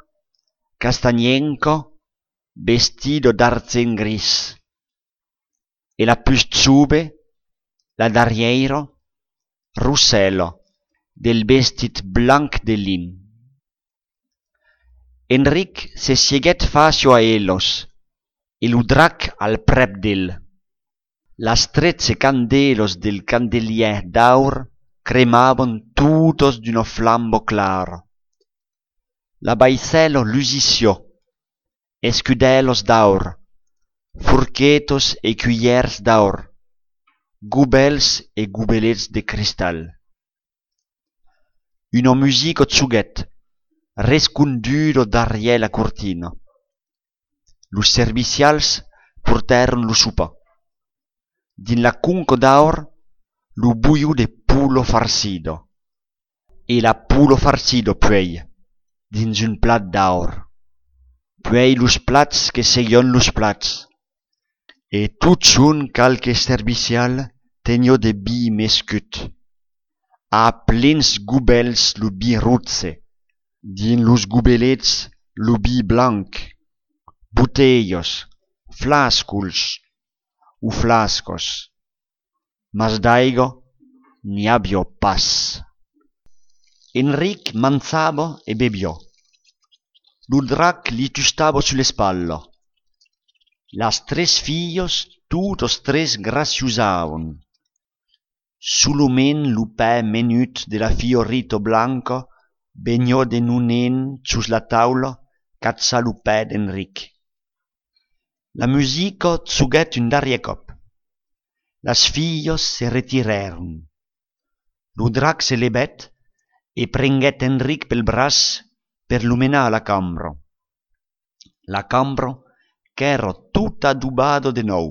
castanhenca, vestida d'argent gris. E la pus jove, la darrièira, Rosèla, del vestit blanc de lin. Enric se sieguèt fàcia a elas e lo drac al prèp d'el. Las tretze candèlas del candelièr d'aur cremavan totas d'una flamba clara. La vaissèla lusissiá, escudèlas d'aur, forquetas e culhièrs d'aur, gobèls e gobelets de cristal. Una musica joguèt, resconduda darrièr la cortina. Los servicials portèron lo sopar. Dins la conca d'aur, lo bolhon de pola farcida. E la pola farcida puèi, dins un plat d'aur. Puèi los plats que seguián los plats. E totjorn qualque servicial teniá de vin mescut. A plens gobèls lo vin roge, dins los gobelets lo vin blanc, botelhas, flascons o flascas, mas d'aiga n'i aviá pas. Enric manjava e beviá. Lo drac li tustava sus l'espatla. Las tres filhas, totas tres graciosavan. Solament lo pè menut de la filha Rita blanca veniá de nonent sus la taula cachar lo pè d'Enric. La musica joguèt un darrièr còp. Las filhas se retirèron. Lo drac se levèt e prenguèt Enric pel braç per lo menar a la cambra. La cambra qu'èra tota adobada de nòu.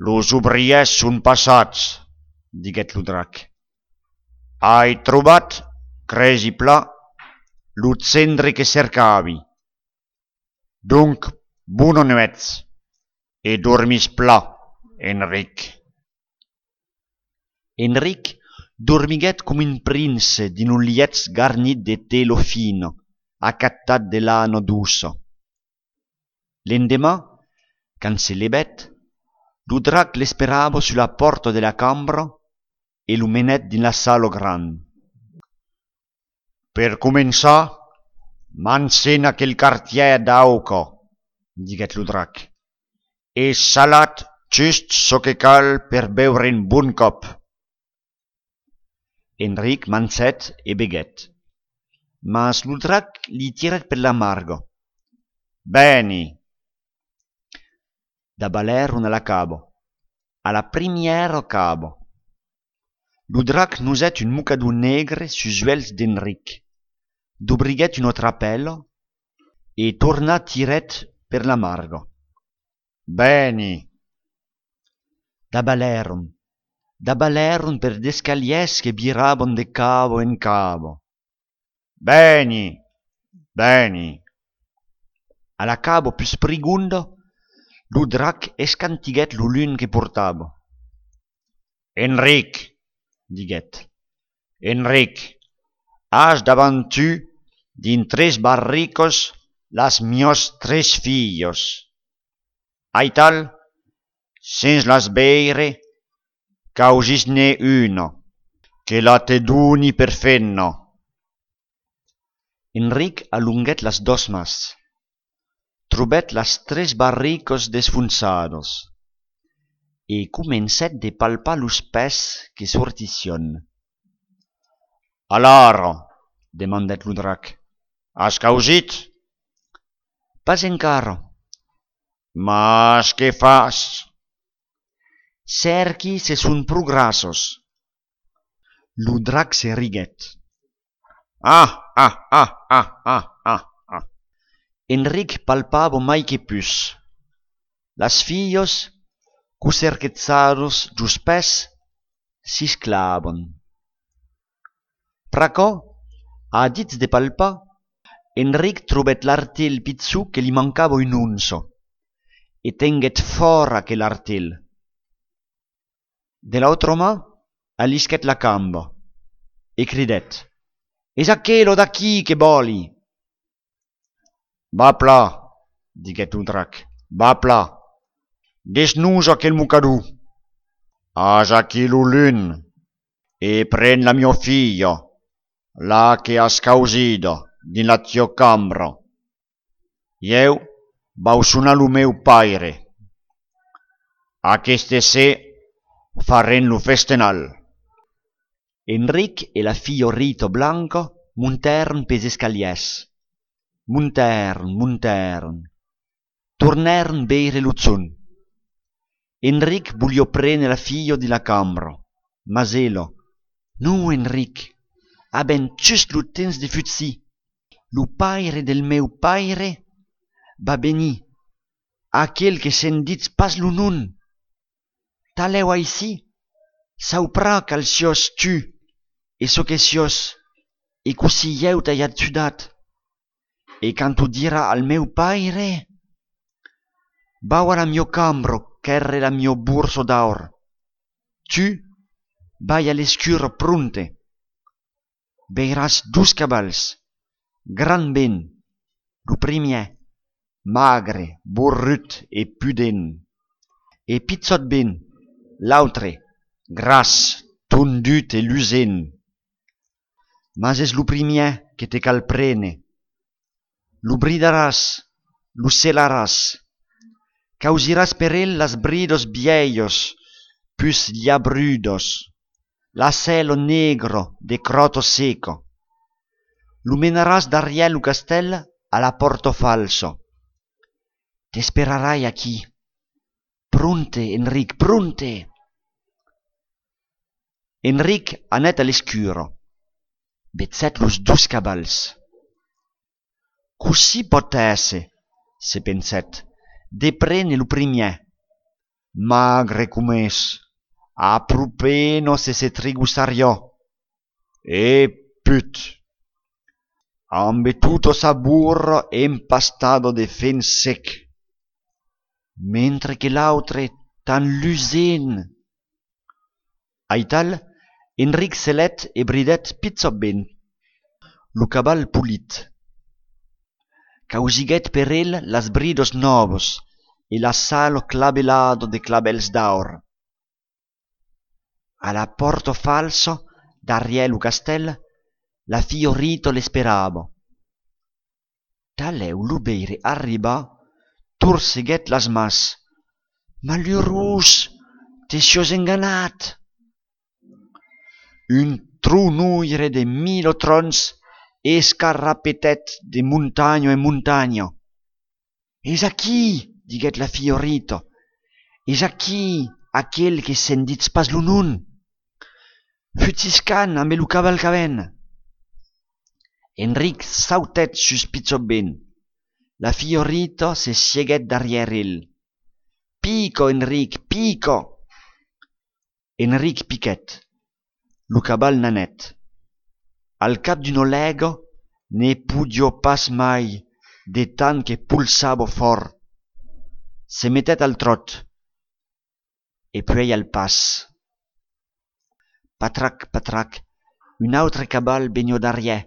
Los obrièrs son passats, diguèt lo drac. Ai trobat, cresi plan, lo gendre que cercavi. Donc, bona nuèch, e dormís plan, Enric. Enric dormiguèt com un prince dins lo lièch garnit de tela fina, acatat de lana doça. L'endeman, Quand se levèt, lo drac l'esperava sus la pòrta de la cambra e lo menèt dins la sala granda. Per començar, mancen aquel quartièr d'auca, diguèt lo drac, e salatz just çò que cal per beure un bon còp. Enric mancèt e beguèt, mas lo drac li tirèt per la marga. Vèni! Davalèron a la cava, a la primièra cava. Lo drac nosèt un mocador negre sus uèlhs d'Enric, dobriguèt una trapèla e torna tirèt per la marga. Vèni! Davalèron, davalèron per d'escalièrs que viravan de cava en cava. Vèni! Vèni! A la cava pus prigonda, lo drac escantiguèt lo lum que portava. Enric, diguèt, Enric, as davant tu, dins tres barricas, las mias tres filhas. Aital, sens las veire, causís-ne una, que la te doni per femna. Enric alonguèt las dos mans, trobèt las tres barricas desfonsadas e comencèt de palpar los pès que sortissián. Alara, demandèt lo drac, as causit? Pas encara. Mas que fas? Cèrqui se son pro grassas. Lo drac se riguèt. Ah, ah, ah, ah, ah, ah, ah. Enric palpava mai que pus. Las filhas, cocerquetzadas jos pès, sisclavan. Pr'aquò, a ditz de palpar, Enric trobèt l'artelh pichon que li mancava un onça, e tenguèt fòrt aquel artelh. De l'autra man, alisquèt la camba, e cridèt: Es aquela d'aquí que vòli! Va plan, diguèt lo drac, va plan, desnosa aquel mocador. As aquí lo lum, e pren la miá filha, la que as causida dins la tiá cambra. Ieu vau sonar lo meu paire. Aqueste ser farem lo festenal. Enric e la filha Rita Blanca montèron pels escalièrs. Montèron, montèron. Tornèron veire lo jorn. Enric voliá prene la filha dins la cambra, mas ela: Non, Enric, avèm just lo temps de fugir. Lo paire del meu paire va venir, aquel que se'n ditz pas lo nom. Talèu aicí, sauprà qual siás tu e çò que siás e cossí ieu t'ai ajudat. E quand o dirà al meu paire: Vau a la miá cambra quèrre la miá borsa d'aur. Tu, vai a l'escura pronte. Veiràs dos cavals, grand ben, lo primièr, magre, borrut e pudent, e pichòt ben, l'autre, gras, tondut e lusent. Mas es lo primièr que te cal prene. Lo bridaràs, lo selaràs. Causiràs per el las bridas vièlhas, pus liabrudas, la sèla negra de cròta seca. Lo menaràs darrièr lo castèl a la pòrta falsa. T'esperarai aquí. Pronte, Enric, pronte! Enric anèt a l'escura. Vegèt los dos cavals. Cossí pòt èsser, se pensèt, de prene lo primièr? Magre com es, a pro pena se se trigossariá. E put! Ambe tota sa borra empastada de fen sec. Mentre que l'autre, tan lusent! Aital, Enric selèt e bridèt pichòt ben lo caval polit. Causiguèt per el las bridas nòvas e la sala clavelada de clavèls d'aur. A la pòrta falsa, darrièr lo castèl, la filha Rita l'esperava. Talèu lo veire arribar, torceguèt las mans. Malurós, te siás enganat! Un tronoire de mila trons escarrapetèt de montanha en montanha. Es aquí, diguèt la filha Rita, es aquí aquel que se'n ditz pas lo nom. Fugiscam ambe lo caval qu'avèm. Enric sautèt sus pichòt ben. La filha Rita se sieguèt darrièr el. Pica, Enric, pica! Enric piquèt. Lo caval n'anèt. Al cap d'una lèga, ne podiá pas mai de tant que polsava fòrt. Se metèt al tròt. E puèi al pas. Patrac, patrac, un autre caval veniá darrièr,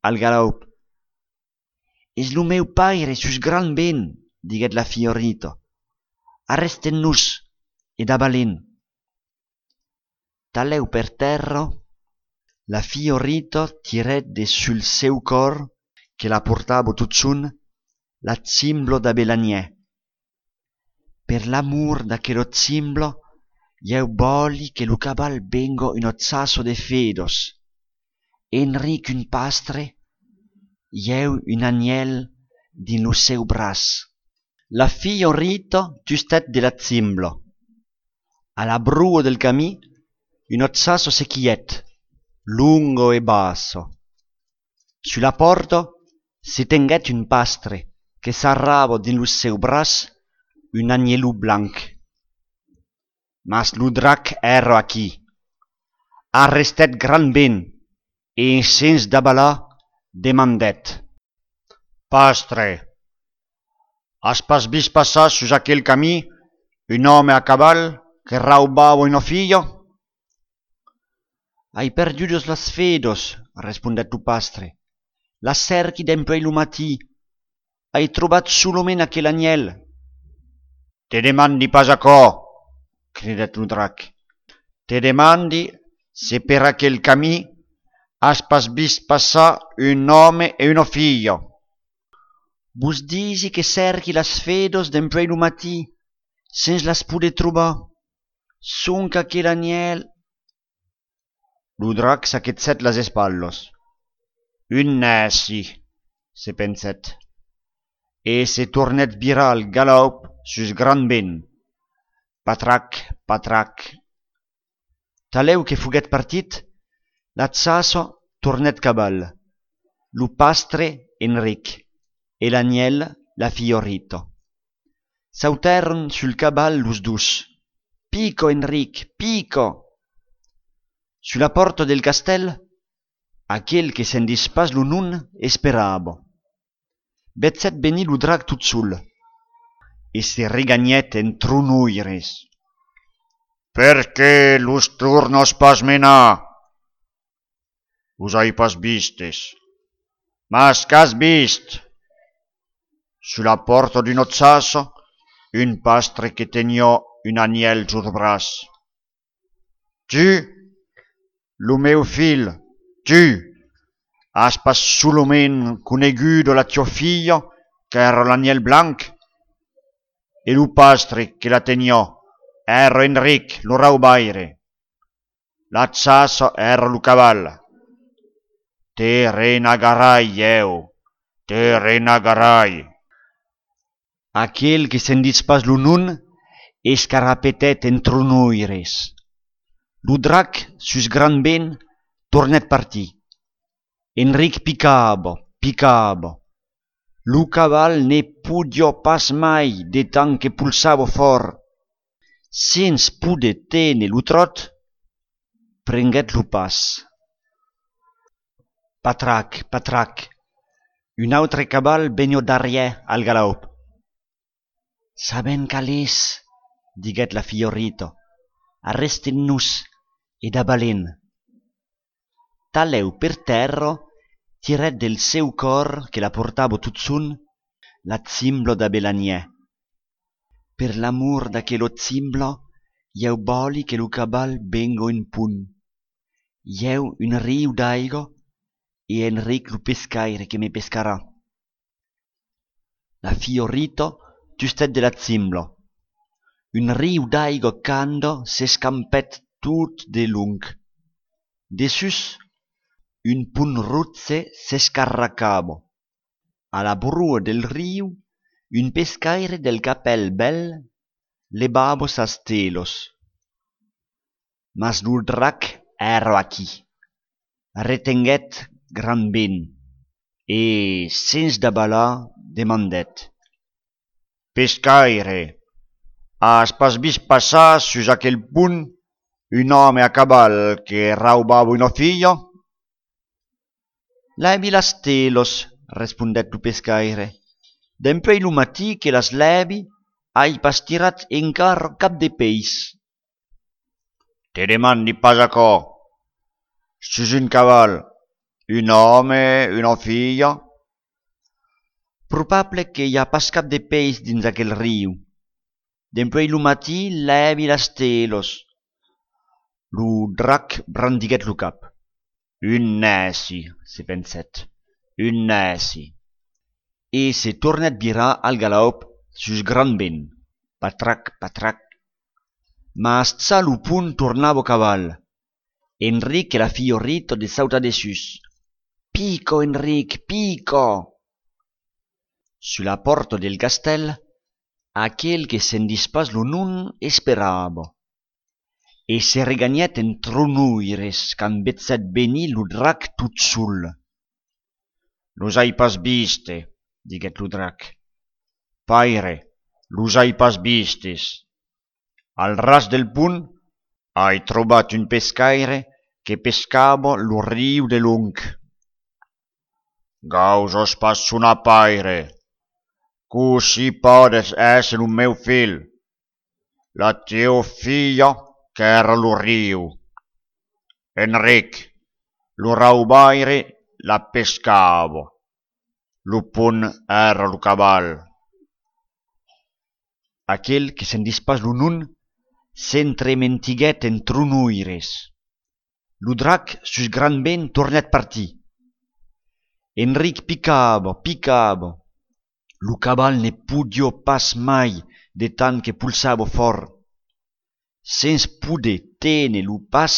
al galòp. Es lo meu paire sus Grand Vent, diguèt la filha Rita. Arrestèm-nos e davalem. Talèu per tèrra, la filha Rita tirèt de sul seu còr, que la portava totjorn, la chimbla d'Avelanièr. Per l'amor d'aquela chimbla, ieu vòli que lo caval venga una chaça de fedas. Enric un pastre, ieu un anhèl dins lo seu braç. La filha Rita tustèt de la chimbla. A la broa del camin, una chaça se quilhèt, longa e bassa. Sus la pòrta se tenguèt un pastre que sarrava dins lo seu braç un anhèlon blanc. Mas lo drac èra aquí. Arrestèt Grand Vent e, sens davalar, demandèt: Pastre, as pas vist passar sus aquel camin un òme a caval que raubava una filha? Ai perdudas las fedas, respondèt lo pastre. Las cèrqui dempuèi lo matin. Ai trobat solament aquel anhèl. Te demandi pas aquò, cridèt lo drac. Te demandi se per aquel camin as pas vist passar un òme e una filha. Vos disi que cèrqui las fedas dempuèi lo matin, sens las poder trobar. Sonque aquel anhèl. Lo drac s'aquetsèt las espatlas. Un nèci, se pensèt, e se tornèt virar al galòp sus Grand Vent. Patrac, patrac. Talèu que foguèt partit, la chaça tornèt caval, lo pastre Enric e l'anhèl la filha Rita. Sautèron sul caval los dos. Pica, Enric, pica! Sus la pòrta del castèl, aquel que se'n ditz pas lo nom esperava. Vegèt venir lo drac tot sol e se reganhèt en tronoires. Perqué los tornas pas menar? Los ai pas vistes. Mas qu'as vist? Sus la pòrta d'una chaça, un pastre que teniá un anhèl sul braç. Tu, lo meu filh, tu, as pas solament coneguda la tiá filha, qu'èra l'anhèl blanc? E lo pastre que la teniá èra Enric, lo raubaire. La chaça èra lo caval. Te renagarai, ieu, te renagarai. Aquel que se'n ditz pas lo nom escarrapetèt en tronoires. Lo drac, sus Grand Vent, tornèt partir. Enric picava, picava. Lo caval ne podiá pas mai de tant que polsava fòrt. Sens poder téner lo tròt, prenguèt lo pas. Patrac, patrac, un autre caval veniá darrièr al galòp. Sabèm qual es, diguèt la filha Rita, arrestèm-nos e davalèm. Talèu per tèrra, tirèt del seu còr que la portava totjorn la chimbla d'Avelanièr. Per l'amor d'aquela chimbla, ieu vòli que lo caval venga en pont. Ieu un riu d'aiga e Enric lo pescaire que me pescarà. La filha Rita tustèt de la chimbla. Un riu d'aiga canda s'escampèt tot de long. Dessús, un pont roge s'escarracava. A la broa del riu, un pescaire del capèl bèl levava sas telas. Mas lo drac èra aquí. Retenguèt Grand Vent e, sens davalar, demandèt: Pescaire, as pas vist passar sus aquel pont un òme a caval que raubava una filha? Lèvi las telas, respondèt lo pescaire. Dempuèi lo matin que las lèvi, ai pas tirat encara cap de peis. Te demandi pas aquò. Sus un caval, un òme, una filha? Probable que i a pas cap de peis dins aquel riu. Dempuèi lo matin, lèvi las telas. Lo drac brandiguèt lo cap. Un nèci, se pensèt, un nèci. E se tornèt virar al galòp sus Grand Vent. Patrac, patrac. Mas ja lo pont tornava caval. Enric e la filha Rita de sautar dessús. Pica, Enric, pica! Sus la pòrta del castèl, aquel que sentís pas lo nom esperava. E se reganhèt en tronoires quand vegèt venir lo drac tot sol. Los ai pas viste, diguèt lo drac. Paire, los ai pas vistes. Al ras del pont ai trobat un pescaire que pescava lo riu de long. Gausas pas sonar paire. Cossí pòdes èsser lo meu filh? La tieu filha qu'èra lo riu. Enric, lo raubaire, la pescava. Lo pont èra lo caval. Aquel que sentís pas lo nom s'entrementiguèt en tronoires. Lo drac sus Grand Vent tornèt partir. Enric picava, picava. Lo caval ne podiá pas mai de tant que polsava fòrt. Sens poder téner lo pas,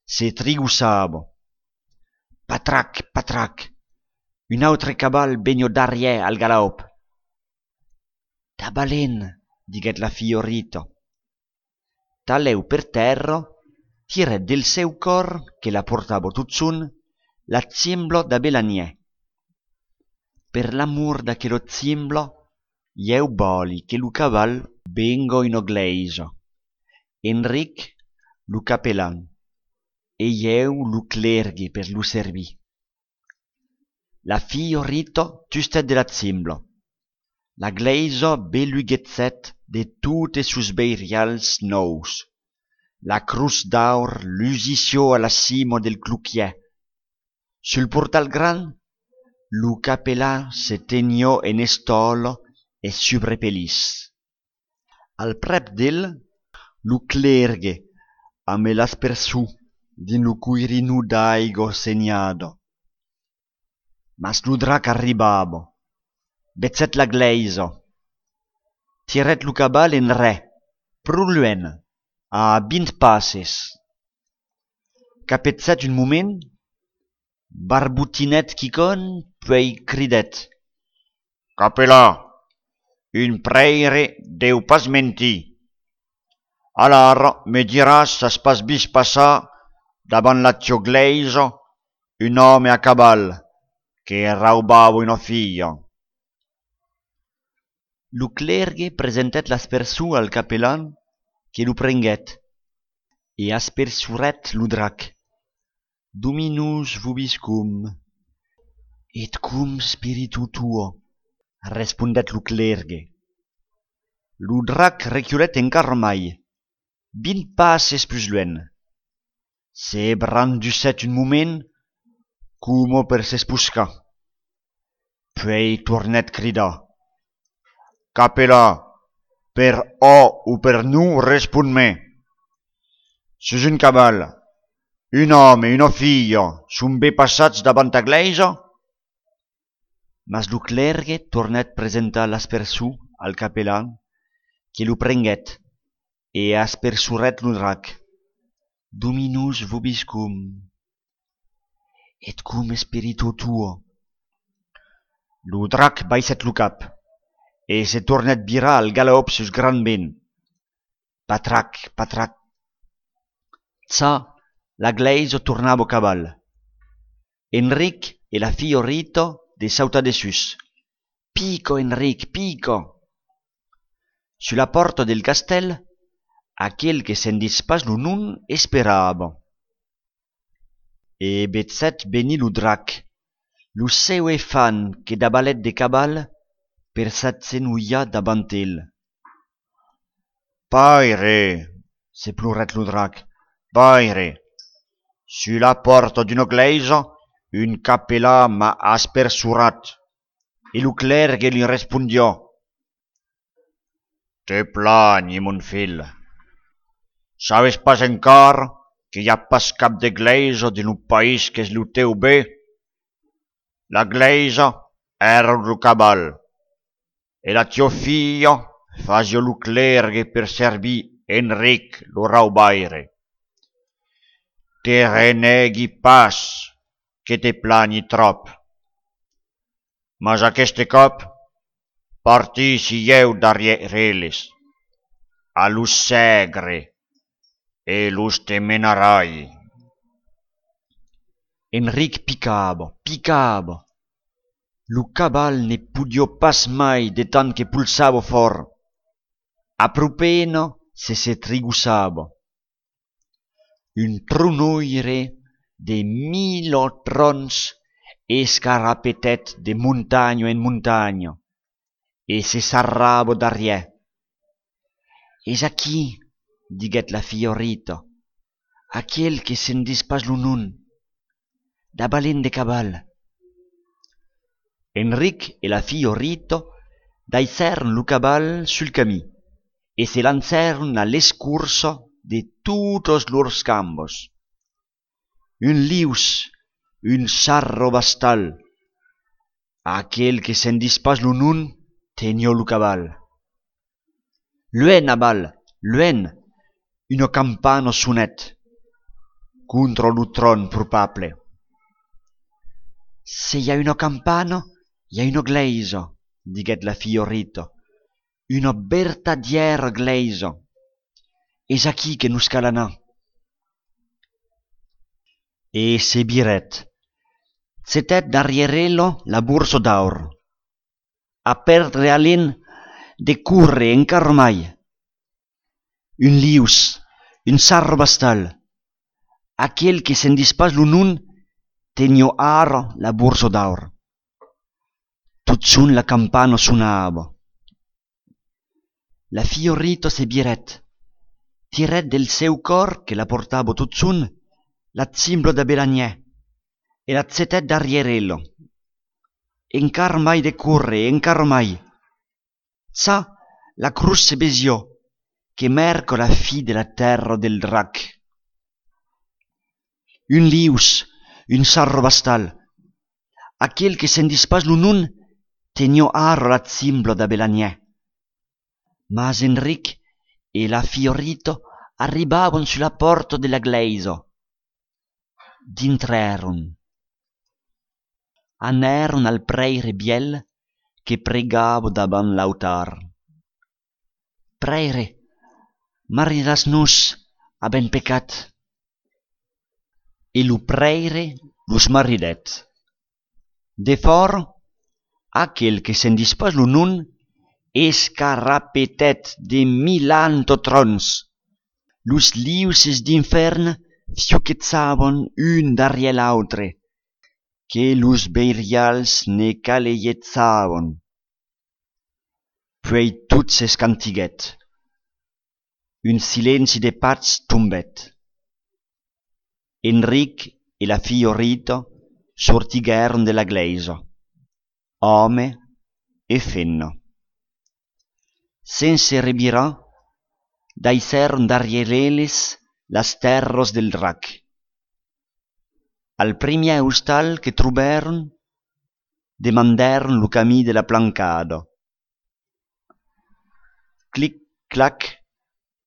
se trigossava. Patrac, patrac! Un autre caval veniá darrièr al galòp. Davalem, diguèt la filha Rita. Talèu per tèrra, tirèt del seu còr, que la portava totjorn, la chimbla d'Avelanièr. Per l'amor d'aquela chimbla, ieu vòli que lo caval venga una glèisa. Enric, lo capelan, e ieu lo clergue per lo servir. La filha Rita tustèt de la chimbla. La glèisa beluguegèt de totes sos veirials nòus. La crotz d'aur lusissiá a la cima del cloquièr. Sul portal grand, lo capelan se teniá en estòla e subrepelís. Al prèp d'el, lo clergue, amb l'aspersor dins lo coirinon d'aiga senhada. Mas lo drac arribava. Vegèt la glèisa. Tirèt lo caval enrè, pro luènh, a vint passes. Capegèt un moment, barbotinèt quicòm, puèi cridèt: Capelan, un prèire deu pas mentir. Alara me diràs s'as pas vist passar davant la tieu glèisa un òme a caval que raubava una filha. Lo clergue presentèt l'aspersor al capelan, que lo prenguèt e aspersorèt lo drac. Dominus vobiscum, et cum spiritu tuo, respondèt lo clergue. Lo drac reculèt encara mai, vint passes pus luènh. Se brandusèt un moment coma per s'esposcar. Puèi tornèt cridar: Capelan, Per òc o per non, respond-me. Sus un caval, un òme e una filha son ben passats davant ta glèisa? Mas lo clèrgue tornèt presentar l'aspersor al capelan, que lo prenguèt e aspersorèt lo drac. Dominós vobiscum, et cum spiritu tuo. Lo drac baissèt lo cap e se tornèt virar al galòp sus grand vent. Patrac, patrac. Cha, la glèisa tornava au caval. Enric e la filha Rita de sautar dessús. Pica, Enric, pica! Sus la pòrta del castèl, aquel que se'n ditz pas lo nom esperava. E vegèt venir lo drac, lo seu efant que davalèt de caval per s'agenolhar davant el. Paire, se plorèt lo drac, paire, sus la pòrta d'una glèisa, un capelan m'a aspersorat. E lo clèrgue li respondiá: Te planhi, mon filh. Sabes pas encara que i a pas cap de glèisa dins lo país qu'es lo teu ben? La glèisa èra lo caval, e la tiá filha fasiá lo clèrgue per servir Enric lo raubaire. Te renegui pas que te planhi tròp. Mas aqueste còp partissi ieu darrièr eles, a los sègre, e los te menarai. Enric picava, picava. Lo caval ne podiá pas mai de tant que polsava fòrt. A pro pena se se trigossava. Un tronoire de mila trons escarapetèt de montanha en montanha e se sarrava darrièr. Es aquí, diguèt la filha Rita, aquel que se'n ditz pas lo nom. Davalem de caval. Enric e la filha Rita daissèron lo caval sul camin e se lancèron a l'escorça de totas lors cambas. Un lius, un sarrabastal, aquel que se'n ditz pas lo nom, teniá lo caval. Luènh aval, luènh, una campana sonèt contra lo tron probable. Se i a una campana, i a una glèisa, diguèt la filha Rita, una vertadièra glèisa. Es aquí que nos cal anar. E se virèt. Chetèt darrièr ela la borsa d'aur. A pèrdre alen de córrer encara mai. Un lius, un sarrabastal. Aquel que se'n ditz pas lo nom teniá ara la borsa d'aur. Totjorn la campana sonava. La filha Rita se virèt, tirèt del seu còr que la portava totjorn la chimbla d'avelanièr e la chetèt darrièr ela. Encara mai de córrer, encara mai. Cha, la crotz se vesiá, que mèrca la fin de la tèrra del drac. Un lius, un sarrabastal. Aquel que se'n ditz pas lo nom teniá ara la chimbla d'avelanièr. Mas Enric e la filha Rita arribavan sus la pòrta de la glèisa. Dintrèron. Anèron al prèire vièlh que pregava davant l'autar. Prèire, maridatz-nos, avèm pecat. E lo prèire los maridèt. Defòra, aquel que se'n ditz pas lo nom escarapetèt de milanta trons. Los liuses d'infèrn fiuquejavan un darrièr l'autre, que los veirials ne calegejavan. Puèi tot s'escantiguèt. Un silenci de patz tombèt. Enric e la filha Rita sortiguèron de la glèisa, òme e femna. Sens se revirar, daissèron darrièr eles las tèrras del Rac. Al primièr ostal que trobèron, demandèron lo camin de la Plancada. Clic, clac,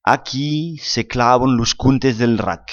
aquí se clavan los contes del Rac.